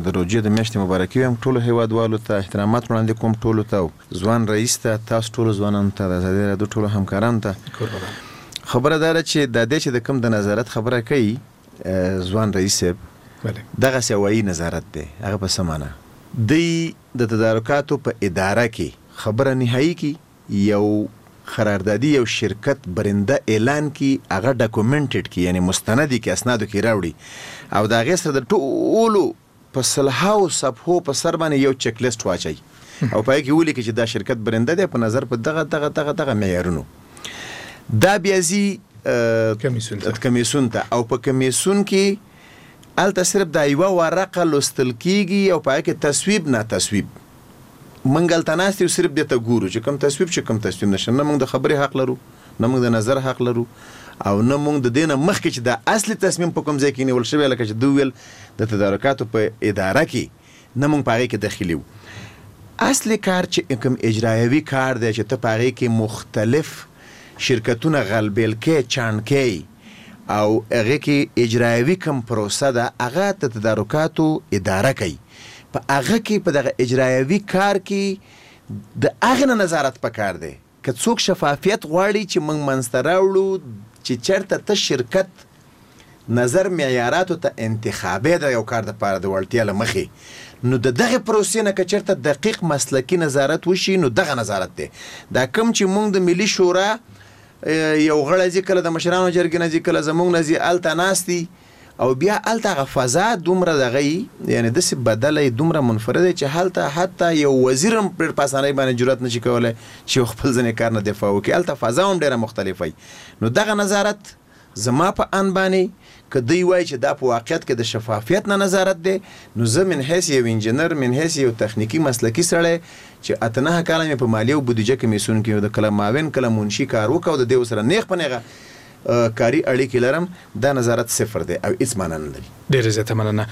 د روژې د میاشتې مبارکي وایم، ټولو هیوادوالو ته احترامات وړاندې کوم، ټولو ته، ځوان رئیس ته، تاسو ټولو ځوانانو ته، د ازادي راډیو ټولو همکارانو ته. خبره دا ده چې د دې چې د کوم د نظارت خبره کوي ځوان رئیس صاحب، دغسې هوایي نظارت دی. هغه په څه معنا؟ دی د تدارکاتو په اداره کې خبره نهایی کی، یو قراردادي یو شرکت برنده اعلان کی، هغه documented کی، یعنی مستندی کی، اسنادو کې راوړي او د هغې سره د ټولو په سلهاو صفحو په سر باندې یو چک لیست واچوي او په هغې کې ولیکي چې دا شرکت برنده دی په نظر په دغه دغه دغه دغه معیارونو. دا بیا ځي کمیسیون ته او په کمیسیون کې هلته صرف دا یوه ورقه لوستل کیږي او په هغې کې تصویب نه تصویب. موږ هلته ناست یو، صرف دې ته ګورو چې کوم تصویب چې کوم تصویب نشته. نه موږ د خبرې حق لرو، نه موږ د نظر حق لرو، او نه موږ د دې نه مخکې چې دا اصلي تصمیم په کوم ځای کې نیول شوی، لکه چې ده وویل د تدارکاتو په اداره کې، نه موږ په هغې کې دخیل یو. اصلي کار چې کوم اجرایوي کار دی چې ته په هغې کې مختلف شرکتونه غلبیل کې، چاڼ کې، او هغې کې اجرایوي کوم پروسه ده هغه د تدارکاتو اداره کوي. په هغه کې په دغه اجرایوي کار کې د هغې نه نظارت پکار دی. که څوک شفافیت غواړي چې موږ منځته راوړو چې چېرته ته شرکت نظر معیاراتو ته انتخابې د یو کار دپاره د وړتیا له مخې، نو د دغې پروسې نه که چېرته دقیق مسلکي نظارت وشي نو دغه نظارت دی. دا کوم چې موږ د ملي شورا یو غړی ځي، کله د مشرانو جرګې نه ځي، کله زموږ نه ځي، هلته ناست دي او بیا هلته هغه فضا دومره دغه یي، یعنې داسې بدله یې، دومره منفرده چې هلته حتی یو وزیر هم ډېر په اسانۍ باندې جرأت نشي کولی چې یو خپل ځینې کار نه دفاع وکړي. هلته فضا هم ډېره مختلفه وي. نو دغه نظارت زما په ان باندې که دوی وایي چې دا په واقعیت کې د شفافیت نه نظارت دی، نو زه من حیث یو انجینر، من حیث یو تخنیکي مسلکي سړی چې 8-9 کاله مې په مالیه او بودیجه کمیسیون کې د کله معاون کله منشي کار وکړ او د دې سره نیغ په نیغه کاري اړیکې لرم، دا نظارت صفر دی او هیڅ معنا نه لري. ډېره زیاته مننه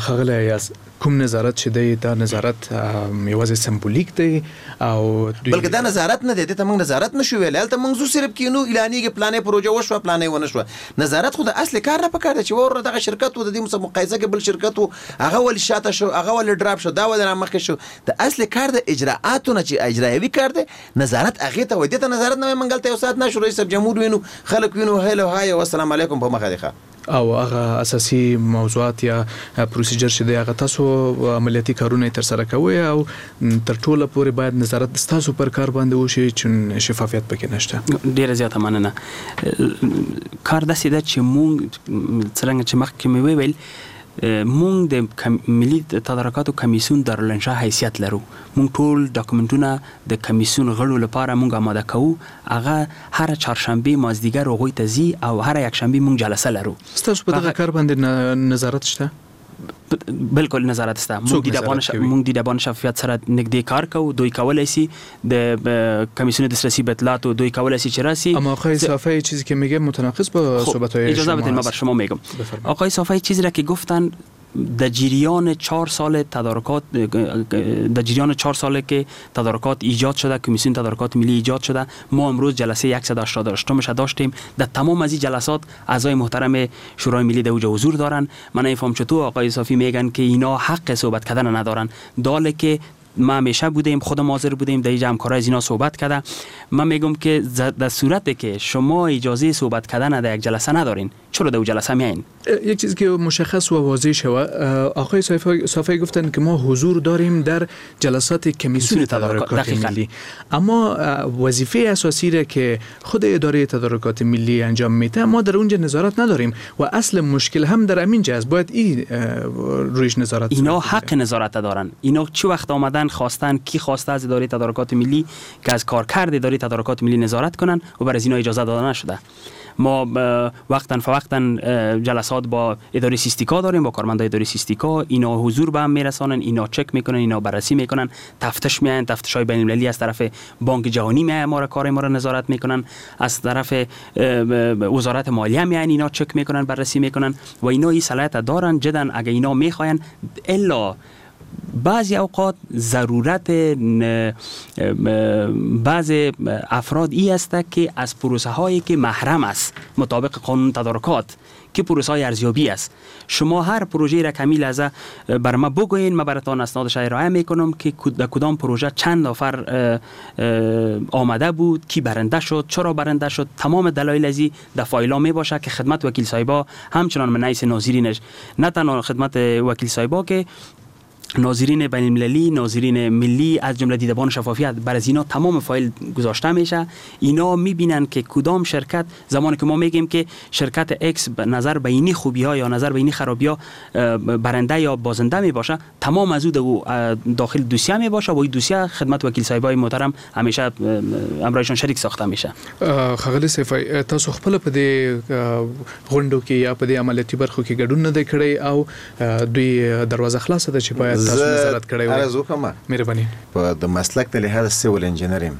ښاغلی ایاز. کوم نظارت چې دی دا نظارت یوازې سمبولیک دی او بلکې دا نظارت نه دی، دې ته موږ نظارت نشو ویلی. هلته موږ ځو صرف کینو، اعلانېږي پلانې پروژه وشوه پلانې ونه شوه. نظارت خو د اصل کار نه پکار دی چې وروره دغه شرکت و، د دې مقایسه کې بل شرکت و، هغه ولې شاته شو، هغه ولې ډراپ شو، دا ولې رامخکې شو. د اصل کار د اجراآتو نه چې اجرایوي کار دی، نظارت هغې ته وایي. دې ته نظارت نه وایي. موږ هلته یو ساعت نه شو، رئیس صاحب جمهور وینو، خلک وینو، هلو های او السلام علیکم په مخه دی ښه. او هغه اساسي موضوعات یا پروسیجر چې دی هغه تاسو عملیاتي کارونه تر سره کوئ او تر ټوله پورې باید نظارت ستاسو پر کار باندې وشي چې شفافیت پکې نشته. ډیره زیاته مننه. کار داسې ده چې مونږ څرنګه چې مخکې مې وویل، مونږ د ملي تدارکاتو کمیسیون دارالانشا حیثیت لرو. مونږ ټول ډاکومنټونه د کمیسیون غړو لپاره مونږ آماده کوو. هغه هره چهارشنبه مازدیګر هغوی ته ځي او هره یکشنبه مونږ جلسه لرو. ستاسو په دغه کار باندې نظارت شته؟ بالکل نظارت شته. مونږ دیدبان شفافیت سره نږدې کار کوو. دوی کولای شي د کمیسیون دسترسی به اطلاعات دوی کولای شي چې راسي. اما آقای صافی چیزی که میگه متناقض با صحبت‌های شما. اجازه بدین من بر شما میگم. آقای صافی چیزی را که گفتن در جریان 4 سال تدارکات، در جریان 4 ساله که تدارکات ایجاد شده، کمیسیون تدارکات ملی ایجاد شده، ما امروز جلسه 188 داشتیم. در تمام از این جلسات اعضای محترم شورای ملی در اوجا حضور دارن. من نفهم چطور آقای صافی میگن که اینا حق صحبت کردن ندارن، داله که ما همیشه بودیم، خودم حاضر بودیم، در اینجا همکارای از اینا صحبت کرده. من میگم که در صورتی که شما اجازه صحبت کردن در یک جلسه ندارین، چرا در جلسه میاین؟ یک چیز که مشخص و واضح شوه، آقای صافی گفتن که ما حضور داریم در جلسات کمیسیون تدارکات ملی، اما وظیفه اساسی را که خود اداره تدارکات ملی انجام میده ما در اونجا نظارت نداریم و اصل مشکل هم در همینجا است. باید این رویش نظارت. اینا حق نظارت دارن. اینا چه وقت آمدن خواستن، کی خواسته از اداره تدارکات ملی که از کارکرد اداره تدارکات ملی نظارت کنن و بر از اینا اجازه داده نشده. ما وقتا فوقتا جلسات با اداره سیستیکا داریم، با کارمندای اداره سیستیکا. اینا حضور به هم میرسانن، اینا چک میکنن، اینا بررسی میکنن، تفتیش میاین، تفتیش های بین المللی از طرف بانک جهانی میاین، ما را کار ما را نظارت میکنن، از طرف وزارت مالیه میاین، اینا چک میکنن، بررسی میکنن و اینا این صلاحیت دارن جدا. اگه اینا میخواین، الا بعضی اوقات ضرورت بعض افراد ای است که از پروسه هایی که محرم است مطابق قانون تدارکات که پروسه های ارزیابی است، شما هر پروژه را کمی لحظه بر ما بگوین، ما براتان اسنادش ارائه میکنم که در کدام پروژه چند نفر آمده بود، کی برنده شد، چرا برنده شد، تمام دلایل ازی در فایل می باشه که خدمت وکیل صاحبا همچنان من نایس ناظرینش، نه تنها خدمت وکیل صاحبا که ناظرین بین المللی، ناظرین ملی، از جمله دیدبان شفافیت، بر از اینا تمام فایل گذاشته میشه. اینا میبینن که کدام شرکت، زمانی که ما میگیم که شرکت X نظر به اینی خوبی ها یا نظر به اینی خرابی ها برنده یا بازنده میباشه، تمام از او داخل دوسیه میباشه و این دوسیه خدمت وکیل صاحبای محترم همیشه امرایشان شریک ساخته میشه. ښاغلی سیفی، تاسو خپل په دې غونډو کې یا په دې عملیاتي برخو کې ګډون نه دی کړی او دوی دروازه خلاصه ده چې باید تاسو نظارت کړی وای؟ عرض وکړم، مهرباني. په د مسلک د لحاظه سیول انجینر یم،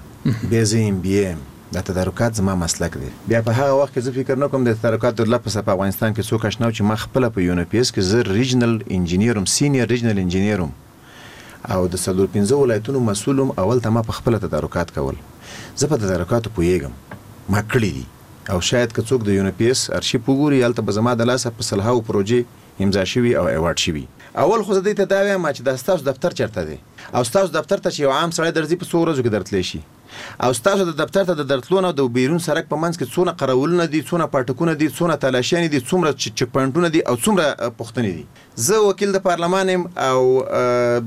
بیا زه ایم بي یم، د تدارکات زما مسلک دی. بیا په هغه وخت کې زه فکر نه کوم د تدارکاتو لپس په افغانستان کې څوک اشنا و چې ما خپله په یو پي اس کې زه ریجنل انجینیر وم، سینیر ریجنل انجینیر وم او د 4-5 ولایتونو مسؤل وم. اول ته ما په خپله تدارکات کول، زه په تدارکاتو پوهېږم، ما کړي دي او شاید که څوک د یو پي اس ارشیف وګوري هلته به زما د لاسه په سلهاو پروژې امضا شوي او ایوارډ شوي. اول خو زه دې ته دا وایم چې دا ستاسو دفتر چېرته دی او ستاسو دفتر ته چې یو عام سړی درځي په څو ورځو کې درتلی شي او ستاسو د دفتر ته د درتلو نه د بیرون سرک په منځ کې څونه قراولونه دي، څونه پاټکونه دي، څونه تلاشیانې دي، څومره چک پوینټونه دي او څومره پوښتنې دي. زه وکیل د پارلمان یم او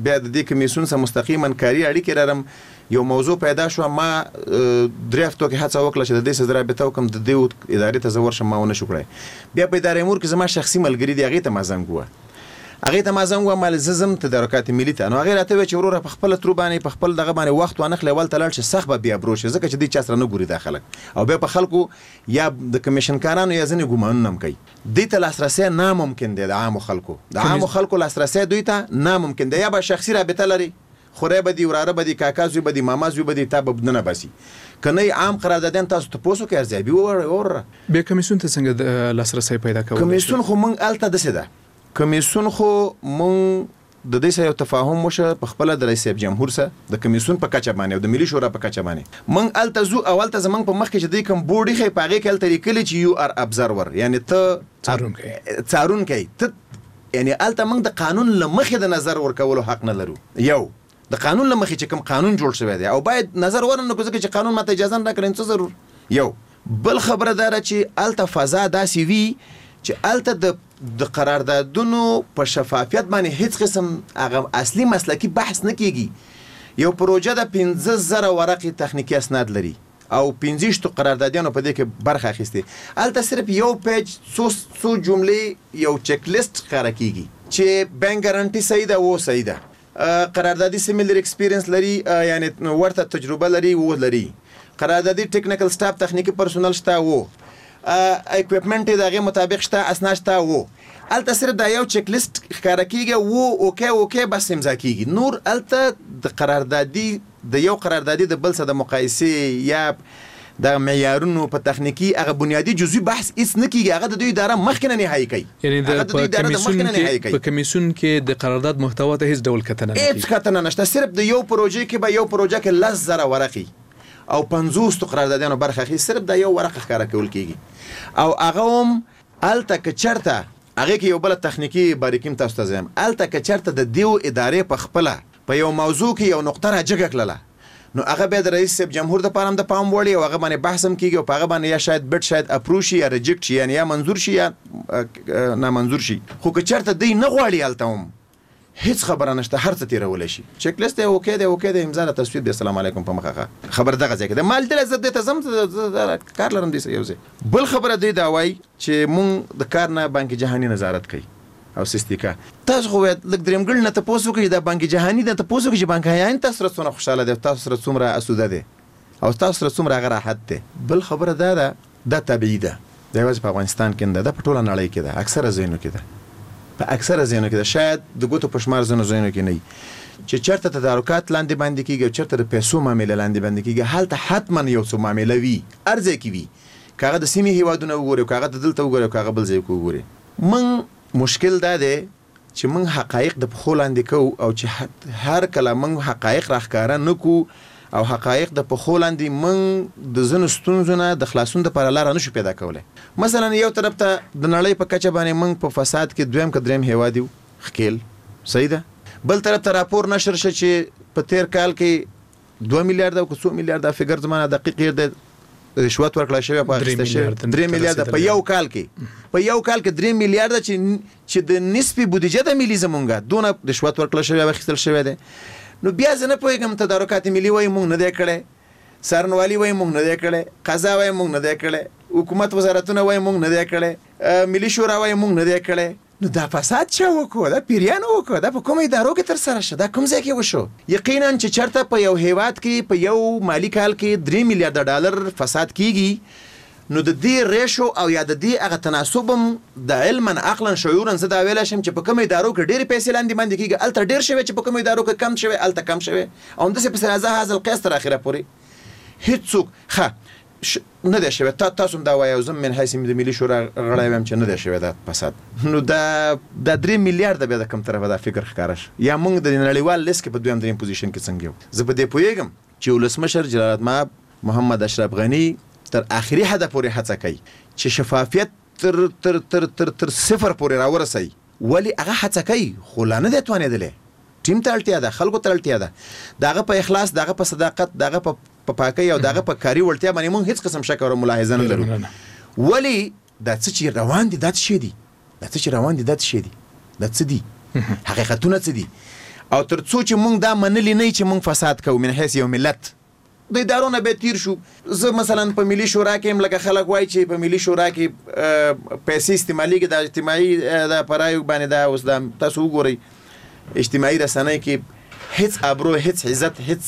بیا د دې کمیسیون سره مستقیما کاري اړیکې لرم. یو موضوع پیدا شوه، ما 3 هفتو کې هڅه وکړه چې د دې سره رابطه وکړم، د دې ادارې ته زه ورشم، ما ونه شو کړی. بیا په ادارې امور کې زما شخصي ملګري دي، هغې ته ما زنګ ووهه. هغې ته ما زنګ ووهه، مال زه ځم تدارکات ملي ته. نو هغې راته وویل چې وروره په خپله ترو باندې په خپل دغه باندې وخت وانخلې، اول ته لاړ شې، سخت به بې ابرو شې، ځکه چې دوی چا سره نه ګوري دا خلک، او بیا په خلکو یا د کمیشنکارانو یا ځینې ګومانونه هم کوي. دوی ته لاسرسی ناممکن دی، د عامو خلکو د عامو خلکو لاسرسی دوی ته ناممکن دی. یا به شخصي رابطه لري، خورې به دي، وراره به دي، کاکا زوی به دي، ماما زوی به دي، تا به ننه باسي. که نه عام قراردادیان تاسو تپوس وکړئ، ارزیابي وروره. بیا کمیسیون ته څنګه لاسرسی پیدا کولی شئ؟ کمیسیون خو موږ هلته داسې ده، کمیسیون خو موږ د دې سره یو تفاهم وشه په خپله د رئیس صاحب جمهور سره د کمیسیون په کچه باندې او د ملي شورا په کچه باندې. موږ هلته ځو او هلته زموږ په مخ کې چې دوی کوم بورډ ایښی په هغې کې هلته لیکلي چې یو ار ابزرور، یعنې ته څارونکی ته، یعنې هلته موږ د قانون له مخې د نظر ورکولو حق نه لرو. یو د قانون له مخې چې کوم قانون جوړ شوی دی او باید نظر ورنه کړو، ځکه چې قانون ماته اجازه نه راکړي، څه ضرور. یو بل خبره دا ده چې هلته فضا داسې وي چې هلته د قراردادونو په شفافیت باندې هیڅ قسم هغه اصلي مسلکي بحث نه کیږي. یو پروژه ده 5000 ورقې تخنیکي اسناد لري او 25 قراردادیانو په دې کې برخه اخیستې، هلته صرف یو پیج څو څو جملې یو چک لیست ښکاره کیږي چې بانک ګارانټي صحیح ده، و صحیح ده، قراردادي سیمیلر ایکسپیرینس لري، یعنی ورته تجربه لري، و لري، قراردادي ټیکنیکل سټاف تخنیکي پرسونل شته، و اکویپمنټ یې د هغې مطابق شته، اسناد شته، و. هلته صرف دا یو چک لیست ښکاره کیږي، و اوکی اوکی بس امضا کیږي. نور هلته د قراردادي د یو قراردادي د بل سره د مقایسې یا د معیارونو په تخنیکي هغه بنیادي جزوي بحث هیڅ نه کیږي. هغه د دوی اداره مخکې نه نهایي کوي، یعنی په کمیسیون کې د قرارداد محتوا ته هیڅ ډول کتنه نه کیږي، هیڅ کتنه نشته. صرف د یو پروژې کې به یو پروژه کې 10,000 ورقې او 50 قراردادیانو برخه اخلي، صرف دا یو ورقه ښکاره کول کیږي. او هغه هم هلته که چېرته هغې کې یو بله تخنیکي باریکي هم تاسو ته زه یم، هلته که چېرته د دیو ادارې په خپله په یو موضوع کې یو نقطه راجګه کړله، نو هغه بیا د رئیس صاحب جمهور دپاره هم د پام وړ او هغه باندې بحث هم کیږي او په هغه باندې یا شاید بټ شاید اپرو شي یا ریجیکټ شي، یعنې یا منظور شي یا نامنظور شي. خو که چېرته دوی نه غواړي هلته هم هیڅ خبره نشته، هر څه تېرولی شي. چک لیست دی، اوکی دی، اوکی دی، امضا ده، تصویب دی، السلام علیکم په مخه ښه. خبره دغه ځای کې ده. ما لیدلی، زه دې ته ځم، زه کار لرم دې سره یو ځای. بل خبره دوی دا وایي چې مونږ د کار نه بانک جهاني نظارت کوي او سیستیکا. تاسو خو باید لږ درېمګړي نه تپوس وکړئ، دا بانک جهاني نه تپوس وکړئ چې بانک جهاني تاسو سره څومره خوشحاله دی، تاسو سره څومره اسوده دی او تاسو سره څومره هغه راحت دی. بل خبره دا ده، دا طبیعي ده، دا یوازې په افغانستان کې نه ده، دا په ټوله نړۍ کې ده، اکثره ځایونو کې ده، په اکثره ځایونو کې ده، شاید د ګوتو په شمار ځینو ځایونو کې نه وي چې چېرته تدارکات لاندې باندې کېږي او چېرته د پیسو معامله لاندې باندې کېږي، هلته حتما یو څه معامله وي، هر ځای کې وي، که هغه د سیمې هېوادونه وګوري، که هغه د دلته وګوري، که هغه بل ځای کې وګوري. موږ مشکل دا دی چې موږ حقایق د پښو لاندې کوو او چې هر کله موږ حقایق راښکاره نه کړو او حقایق د پښو لاندې موږ د ځینو ستونزو نه د خلاصون دپاره لاره نشو پیدا کولی. مثلا یو طرف ته د نړۍ په کچه باندې موږ په فساد کې دویم که دریم هېواد یو ښکېل، صحیح ده. بل طرف ته راپور نشر شه چې په تېر کال کې 2 میلیارده او که څو میلیارده، فګر زما نه دقیق هېر دی، رشوت ورکړل شوی په اخیسته شوی 3 میلیارده په یو کال کې، په یو کال کې 3 میلیارده چې د نصفي بودیجه د ملي زمونږه دونه رشوت ورکړل شوی او اخیستل شوی دی. نو بیا زه نه پوهېږم، تدارکات ملي وایي مونږ نه دی کړی، څارنوالي وایي مونږ نه دی کړی، قضا وایي مونږ نه دی کړی، حکومت وزارتونه وایي مونږ نه دی کړی، ملي شورا وایي مونږ نه دی کړی. نو دا فساد چا وکړو؟ دا پیریانو وکړو؟ دا په کومو ادارو کې ترسره شو؟ دا کوم ځای کې وشو؟ یقینا چې چېرته په یو هیواد کې په یو مالي کال کې 3 میلیارده ډالر فساد کیږي، نو د دې ریشو او یا د دې هغه تناسب هم د علما عقلا شعورا زه دا ویلی شم چې په کومو ادارو کې ډېرې پیسې لاندې باندې کیږي هلته ډېر شوی، چې په کومو ادارو کې کم شوی هلته کم شوی، او همداسې پسې راځه هذا القیاس تر اخره پورې هیڅوک ښه نه دی شوی. تاسو هم دا وایئ او زه من حیث د ملي شورا غړی وایم چې نه دی شوی دا فساد. نو دا 3 میلیارده بیا د کوم طرفه دا فکر ښکاره شو؟ یا موږ د نړیوال لیست کې په دویم دریم پوزیشن کې څنګه یو؟ زه په دې پوهېږم چې ولسمشر جلالتمآب محمد اشرف غني تر آخري حده پورې هڅه کوي چې شفافیت تر تر تر تر تر صفر پورې راورسوي، ولې هغه هڅه کوي خو لا نه دی توانېدلی. ټیم ته اړتیا ده، خلکو ته اړتیا ده، د هغه په اخلاص، د هغه په صداقت، د هغه په پاکۍ او د هغه په کاري وړتیا باندې موږ هیڅ قسم شک او ملاحظه نه لرو. ولې دا څه چې روان دي دا څه شی دي؟ دا څه چې روان دي دا څه شی دي؟ دا څه دي؟ حقیقتونه څه دي؟ او تر څو چې موږ دا منلي نه چې موږ فساد کوو من حیث یو ملت، د ادارو نه به تیر شو. زه مثلا په ملي شورا کې هم لکه خلک وایي چې په ملي شورا کې پیسې استعمالیږي، دا اجتماعي دا پرایو باندې دا اوس دا تاسو وګورئ اجتماعي رسنۍ کې هیڅ ابرو، هیڅ عزت، هیڅ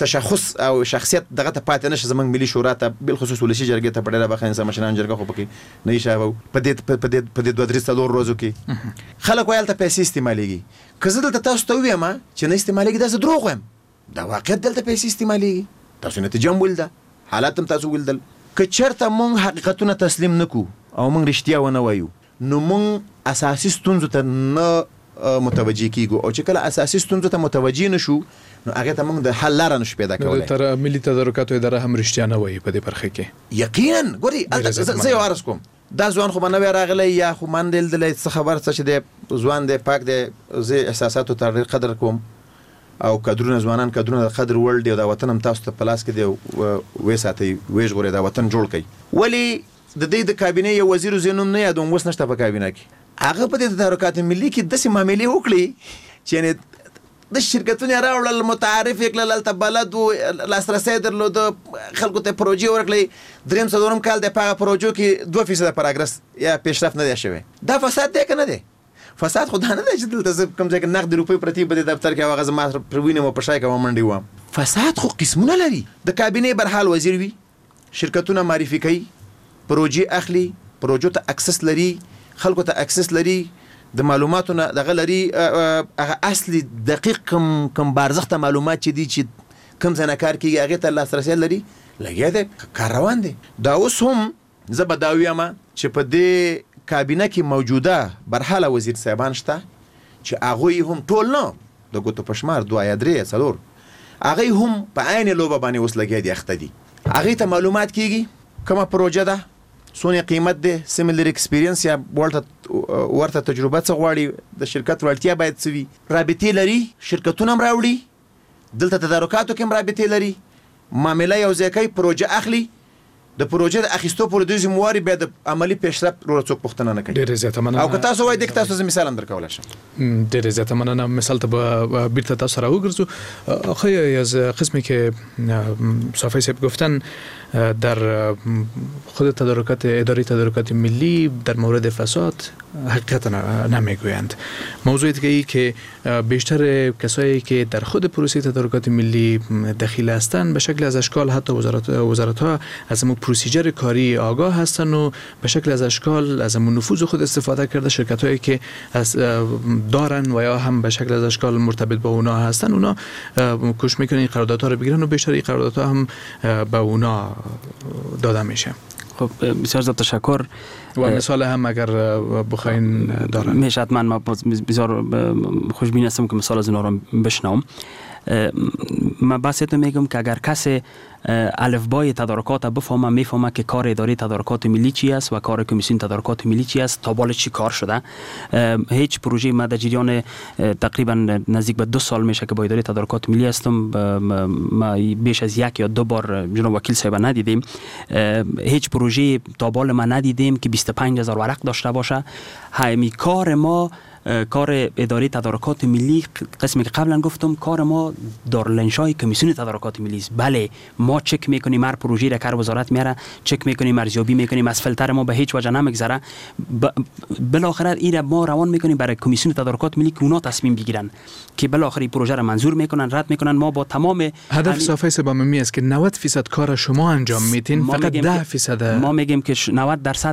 تشخص او شخصیت دغه ته پاتې نشه زمونږ ملي شورا ته، بالخصوص ولسي جرګې ته په ډېره برخه انسان مشران جرګه خو پکې نه حسابو. په دې 2 3 4 ورځو کې خلک وایي هلته پیسې استعمالیږي. که زه دلته تاسو ته ووایم چې نه استعمالیږي، دا زه دروغ وایم. دا واقعیت دلته پیسې استعمالیږي، تاسو نتیجه هم ولیده، حالات هم تاسو ولیدل. که چېرته مونږ حقیقتونه تسلیم نه کړو او مونږ رښتیا ونه وایو، نو مونږ اساسي ستونزو ته نه متوجه کیږو، او چې کله اساسي ستونزو ته متوجه نه شو، نو هغې ته موږ د حل لاره نشو پیدا کولی. تر ملي تدارکاتو اداره هم رښتیا نه وایي په دې برخه کې. یقینا ګوري، زه یو عرض کوم، دا ځوان خو به نوی راغلی یا خو ما نه دی لیدلی، څه خبر څه چې دی، ځوان دی، پاک دی، زه احساساتو ته ډېر قدر کوم او کدرونه، ځوانان کدرونه د قدر وړ دي، او دا وطن هم تاسو ته په لاس کې دی، ویې ساتئ، ویې ژغورئ، دا وطن جوړ کړئ. ولې د دې د کابینې یو وزیر، زه یې نوم نه یادوم، اوس نشته په کابینه کې، هغه په دې تدارکات ملي کې داسې معاملې وکړې چې یعنې د شرکتونه یې راوړل، متعارف یې کړل، هلته بلد و، لاسرسی یې درلوده، خلکو ته پروژې ورکړې. دریم څلورم کال دی په هغه پروژو کې 2% پراګرس یا پیشرفت نه دی شوی. دا فساد دی که نه دی؟ فساد خو دا نه دی چې دلته زه کوم ځای کې نغدې روپۍ پرتې په دې دفتر کې او هغه زما پر وینم او په شای کې منډې وهم. فساد خو قسمونه لري. د کابینې برحال وزیر وي، شرکتونه معرفي کوي، پروژې اخلي، پروژو ته access لري، خلکو ته access لري، د معلوماتو نه دغه لري، هغه اصلي دقیق کوم بارزښته معلومات چې دي چې کوم ځای نه کار کېږي هغې ته لاسرسی لري، لګیا دی، کار روان دی. دا اوس هم زه به دا ووایم چې په دې کابینه کې موجوده برحاله وزیر صاحبان شته چې هغوی هم ټول نه، د ګوتو په شمار 2 یا 3 یا 4، هغوی هم په عین لوبه باندې اوس لګیا دي، اخته دي. هغوی ته معلومات کېږي کومه پروژه ده، څونه قیمت دی، similar experience یا ورته تجربه څه غواړي، د شرکت وړتیا باید څه وي، رابطې لري، شرکتونه هم راوړي، دلته تدارکاتو کې هم رابطې لري، معامله یو ځای کوي، پروژه اخلي، د پروژې د اخیستو پورې دوی ذمهواري، بیا د عملي پیشرفت وروره څوک پوښتنه نه کوي. ډېره زیاته مننه. او که تاسو وایئ دې کې تاسو زه مثال هم درکولی شم. ډېره زیاته مننه. مثال ته به بیرته تاسو راوګرځو. آقای از قسمی که صافی صاحب گفتن، در خود تدارکات اداره تدارکات ملی در مورد فساد حقیقت نمیگویند. موضوع دیگه ای که بیشتر کسایی که در خود پروسه تدارکات ملی دخیل هستند به شکل از اشکال حتی وزارت ها از امو procedure کاری آگاه هستند و به شکل از اشکال از امو نفوذ خود استفاده کرده شرکت هایی که از دارن و یا هم به شکل از اشکال مرتبط با اونا هستن، اونا کوشش میکنن این قراردادها رو بگیرن و بیشتر این قراردادها هم به اونا داده میشه. خب بسیار زیاد تشکر. و مثال هم اگر بخواین دارن میشه حتما. ما بسیار خوشبین هستم که مثال از اینا رو بشنوم. من بس میگم که اگر کسی الفبای تدارکات بفهمه، میفهمه که کار اداره تدارکات ملی چی است و کار کمیسیون تدارکات ملی چی است، تا بالا چی کار شده. هیچ پروژه ما در جریان تقریبا نزدیک به 2 سال میشه که با اداره تدارکات ملی هستم، ما بیش از 1 یا 2 بار جناب وکیل صاحب ندیدیم. هیچ پروژه تا بالا ما ندیدیم که 25,000 ورق داشته باشه. همین کار ما، کار اداره تدارکات ملی، قسمی که قبلا گفتم، کار ما دارالانشای کمیسیون تدارکات ملی است. بله ما چک میکنیم هر پروژه را که وزارت میاره، چک میکنیم، ارزیابی میکنیم، از فلتر ما به هیچ وجه نمیگذره. بالاخره این را ما روان میکنیم برای کمیسیون تدارکات ملی که اونا تصمیم بگیرن که بالاخره این پروژه را منظور میکنن، رد میکنن. ما با تمام هدف صافی سباممی است که 90% کار شما انجام میتین، فقط 10% ما میگیم که 90%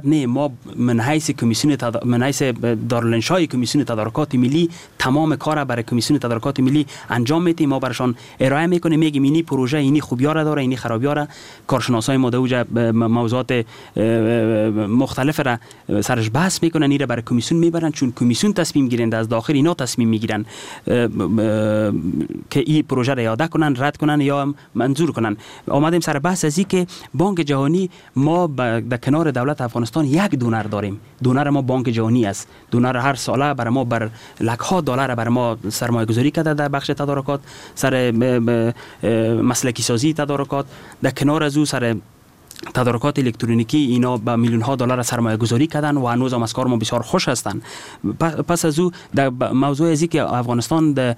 نه، ما من حیث کمیسیون من حیث دارالانشای کمیسیون تدارکات ملی تمام کار برای کمیسیون تدارکات ملی انجام میدیم. ما برشان ارائه میکنیم، میگیم اینی پروژه اینی خوبیا را داره، اینی خرابیا را. کارشناسای ما در اوجه موضوعات مختلف را سرش بحث میکنن، این را برای کمیسیون میبرن، چون کمیسیون تصمیم گیرنده از داخل اینا تصمیم میگیرن که این پروژه را اعاده کنن، رد کنن یا منظور کنن. آمدیم سر بحث از این که بانک جهانی، ما در کنار دولت افغانستان یک donor داریم. donor ما بانک جهانی است. donor هر ساله بر ما بر لک‌ها دلار بر ما سرمایه گذاری کرده در بخش تدارکات، سر مسلکی سازی تدارکات، در کنار از او سر تدارکات الکترونیکی اینا به میلیون ها دلار سرمایه گذاری کردن و هنوز هم از کار ما بسیار خوش هستند. پس از او در موضوع ازی که افغانستان در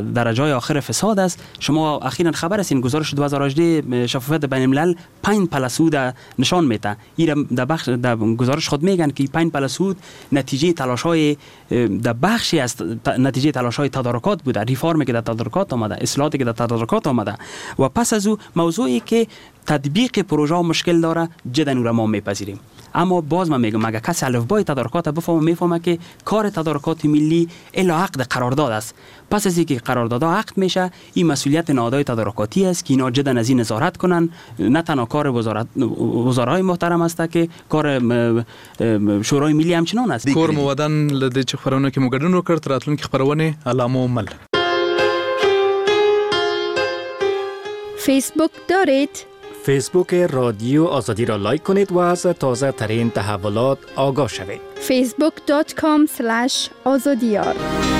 درجه آخر فساد است، شما اخیرا خبر هستین گزارش 2018 شفافیت بین الملل 5 پلسود نشان میده. این در بخش در گزارش خود میگن که 5 پلسود نتیجه تلاش های در بخشی از نتیجه تلاش های تدارکات بوده، ریفارمی که در تدارکات آمده، اصلاحاتی که در تدارکات آمده. و پس از او موضوعی که تطبیق پروژه مشکل داره جدا او را ما میپذیریم. اما باز من میگم اگر کسی الفبای تدارکات بفهمه میفهمه که کار تدارکات ملی الا عقد قرارداد است. پس از اینکه قراردادها عقد میشه، این مسئولیت نهادهای تدارکاتی است که اینا جدا از این نظارت کنن. نه تنها کار وزرای محترم است که کار شورای ملی همچنان است. کور مو ودان له دې چې خپرونه کې مو ګډون وکړ. تر راتلونکې خپرونې الله مو مل. فیسبوک دارید؟ فیسبوک رادیو آزادی را لایک کنید و از تازه ترین تحولات آگاه شوید. facebook.com/azadiar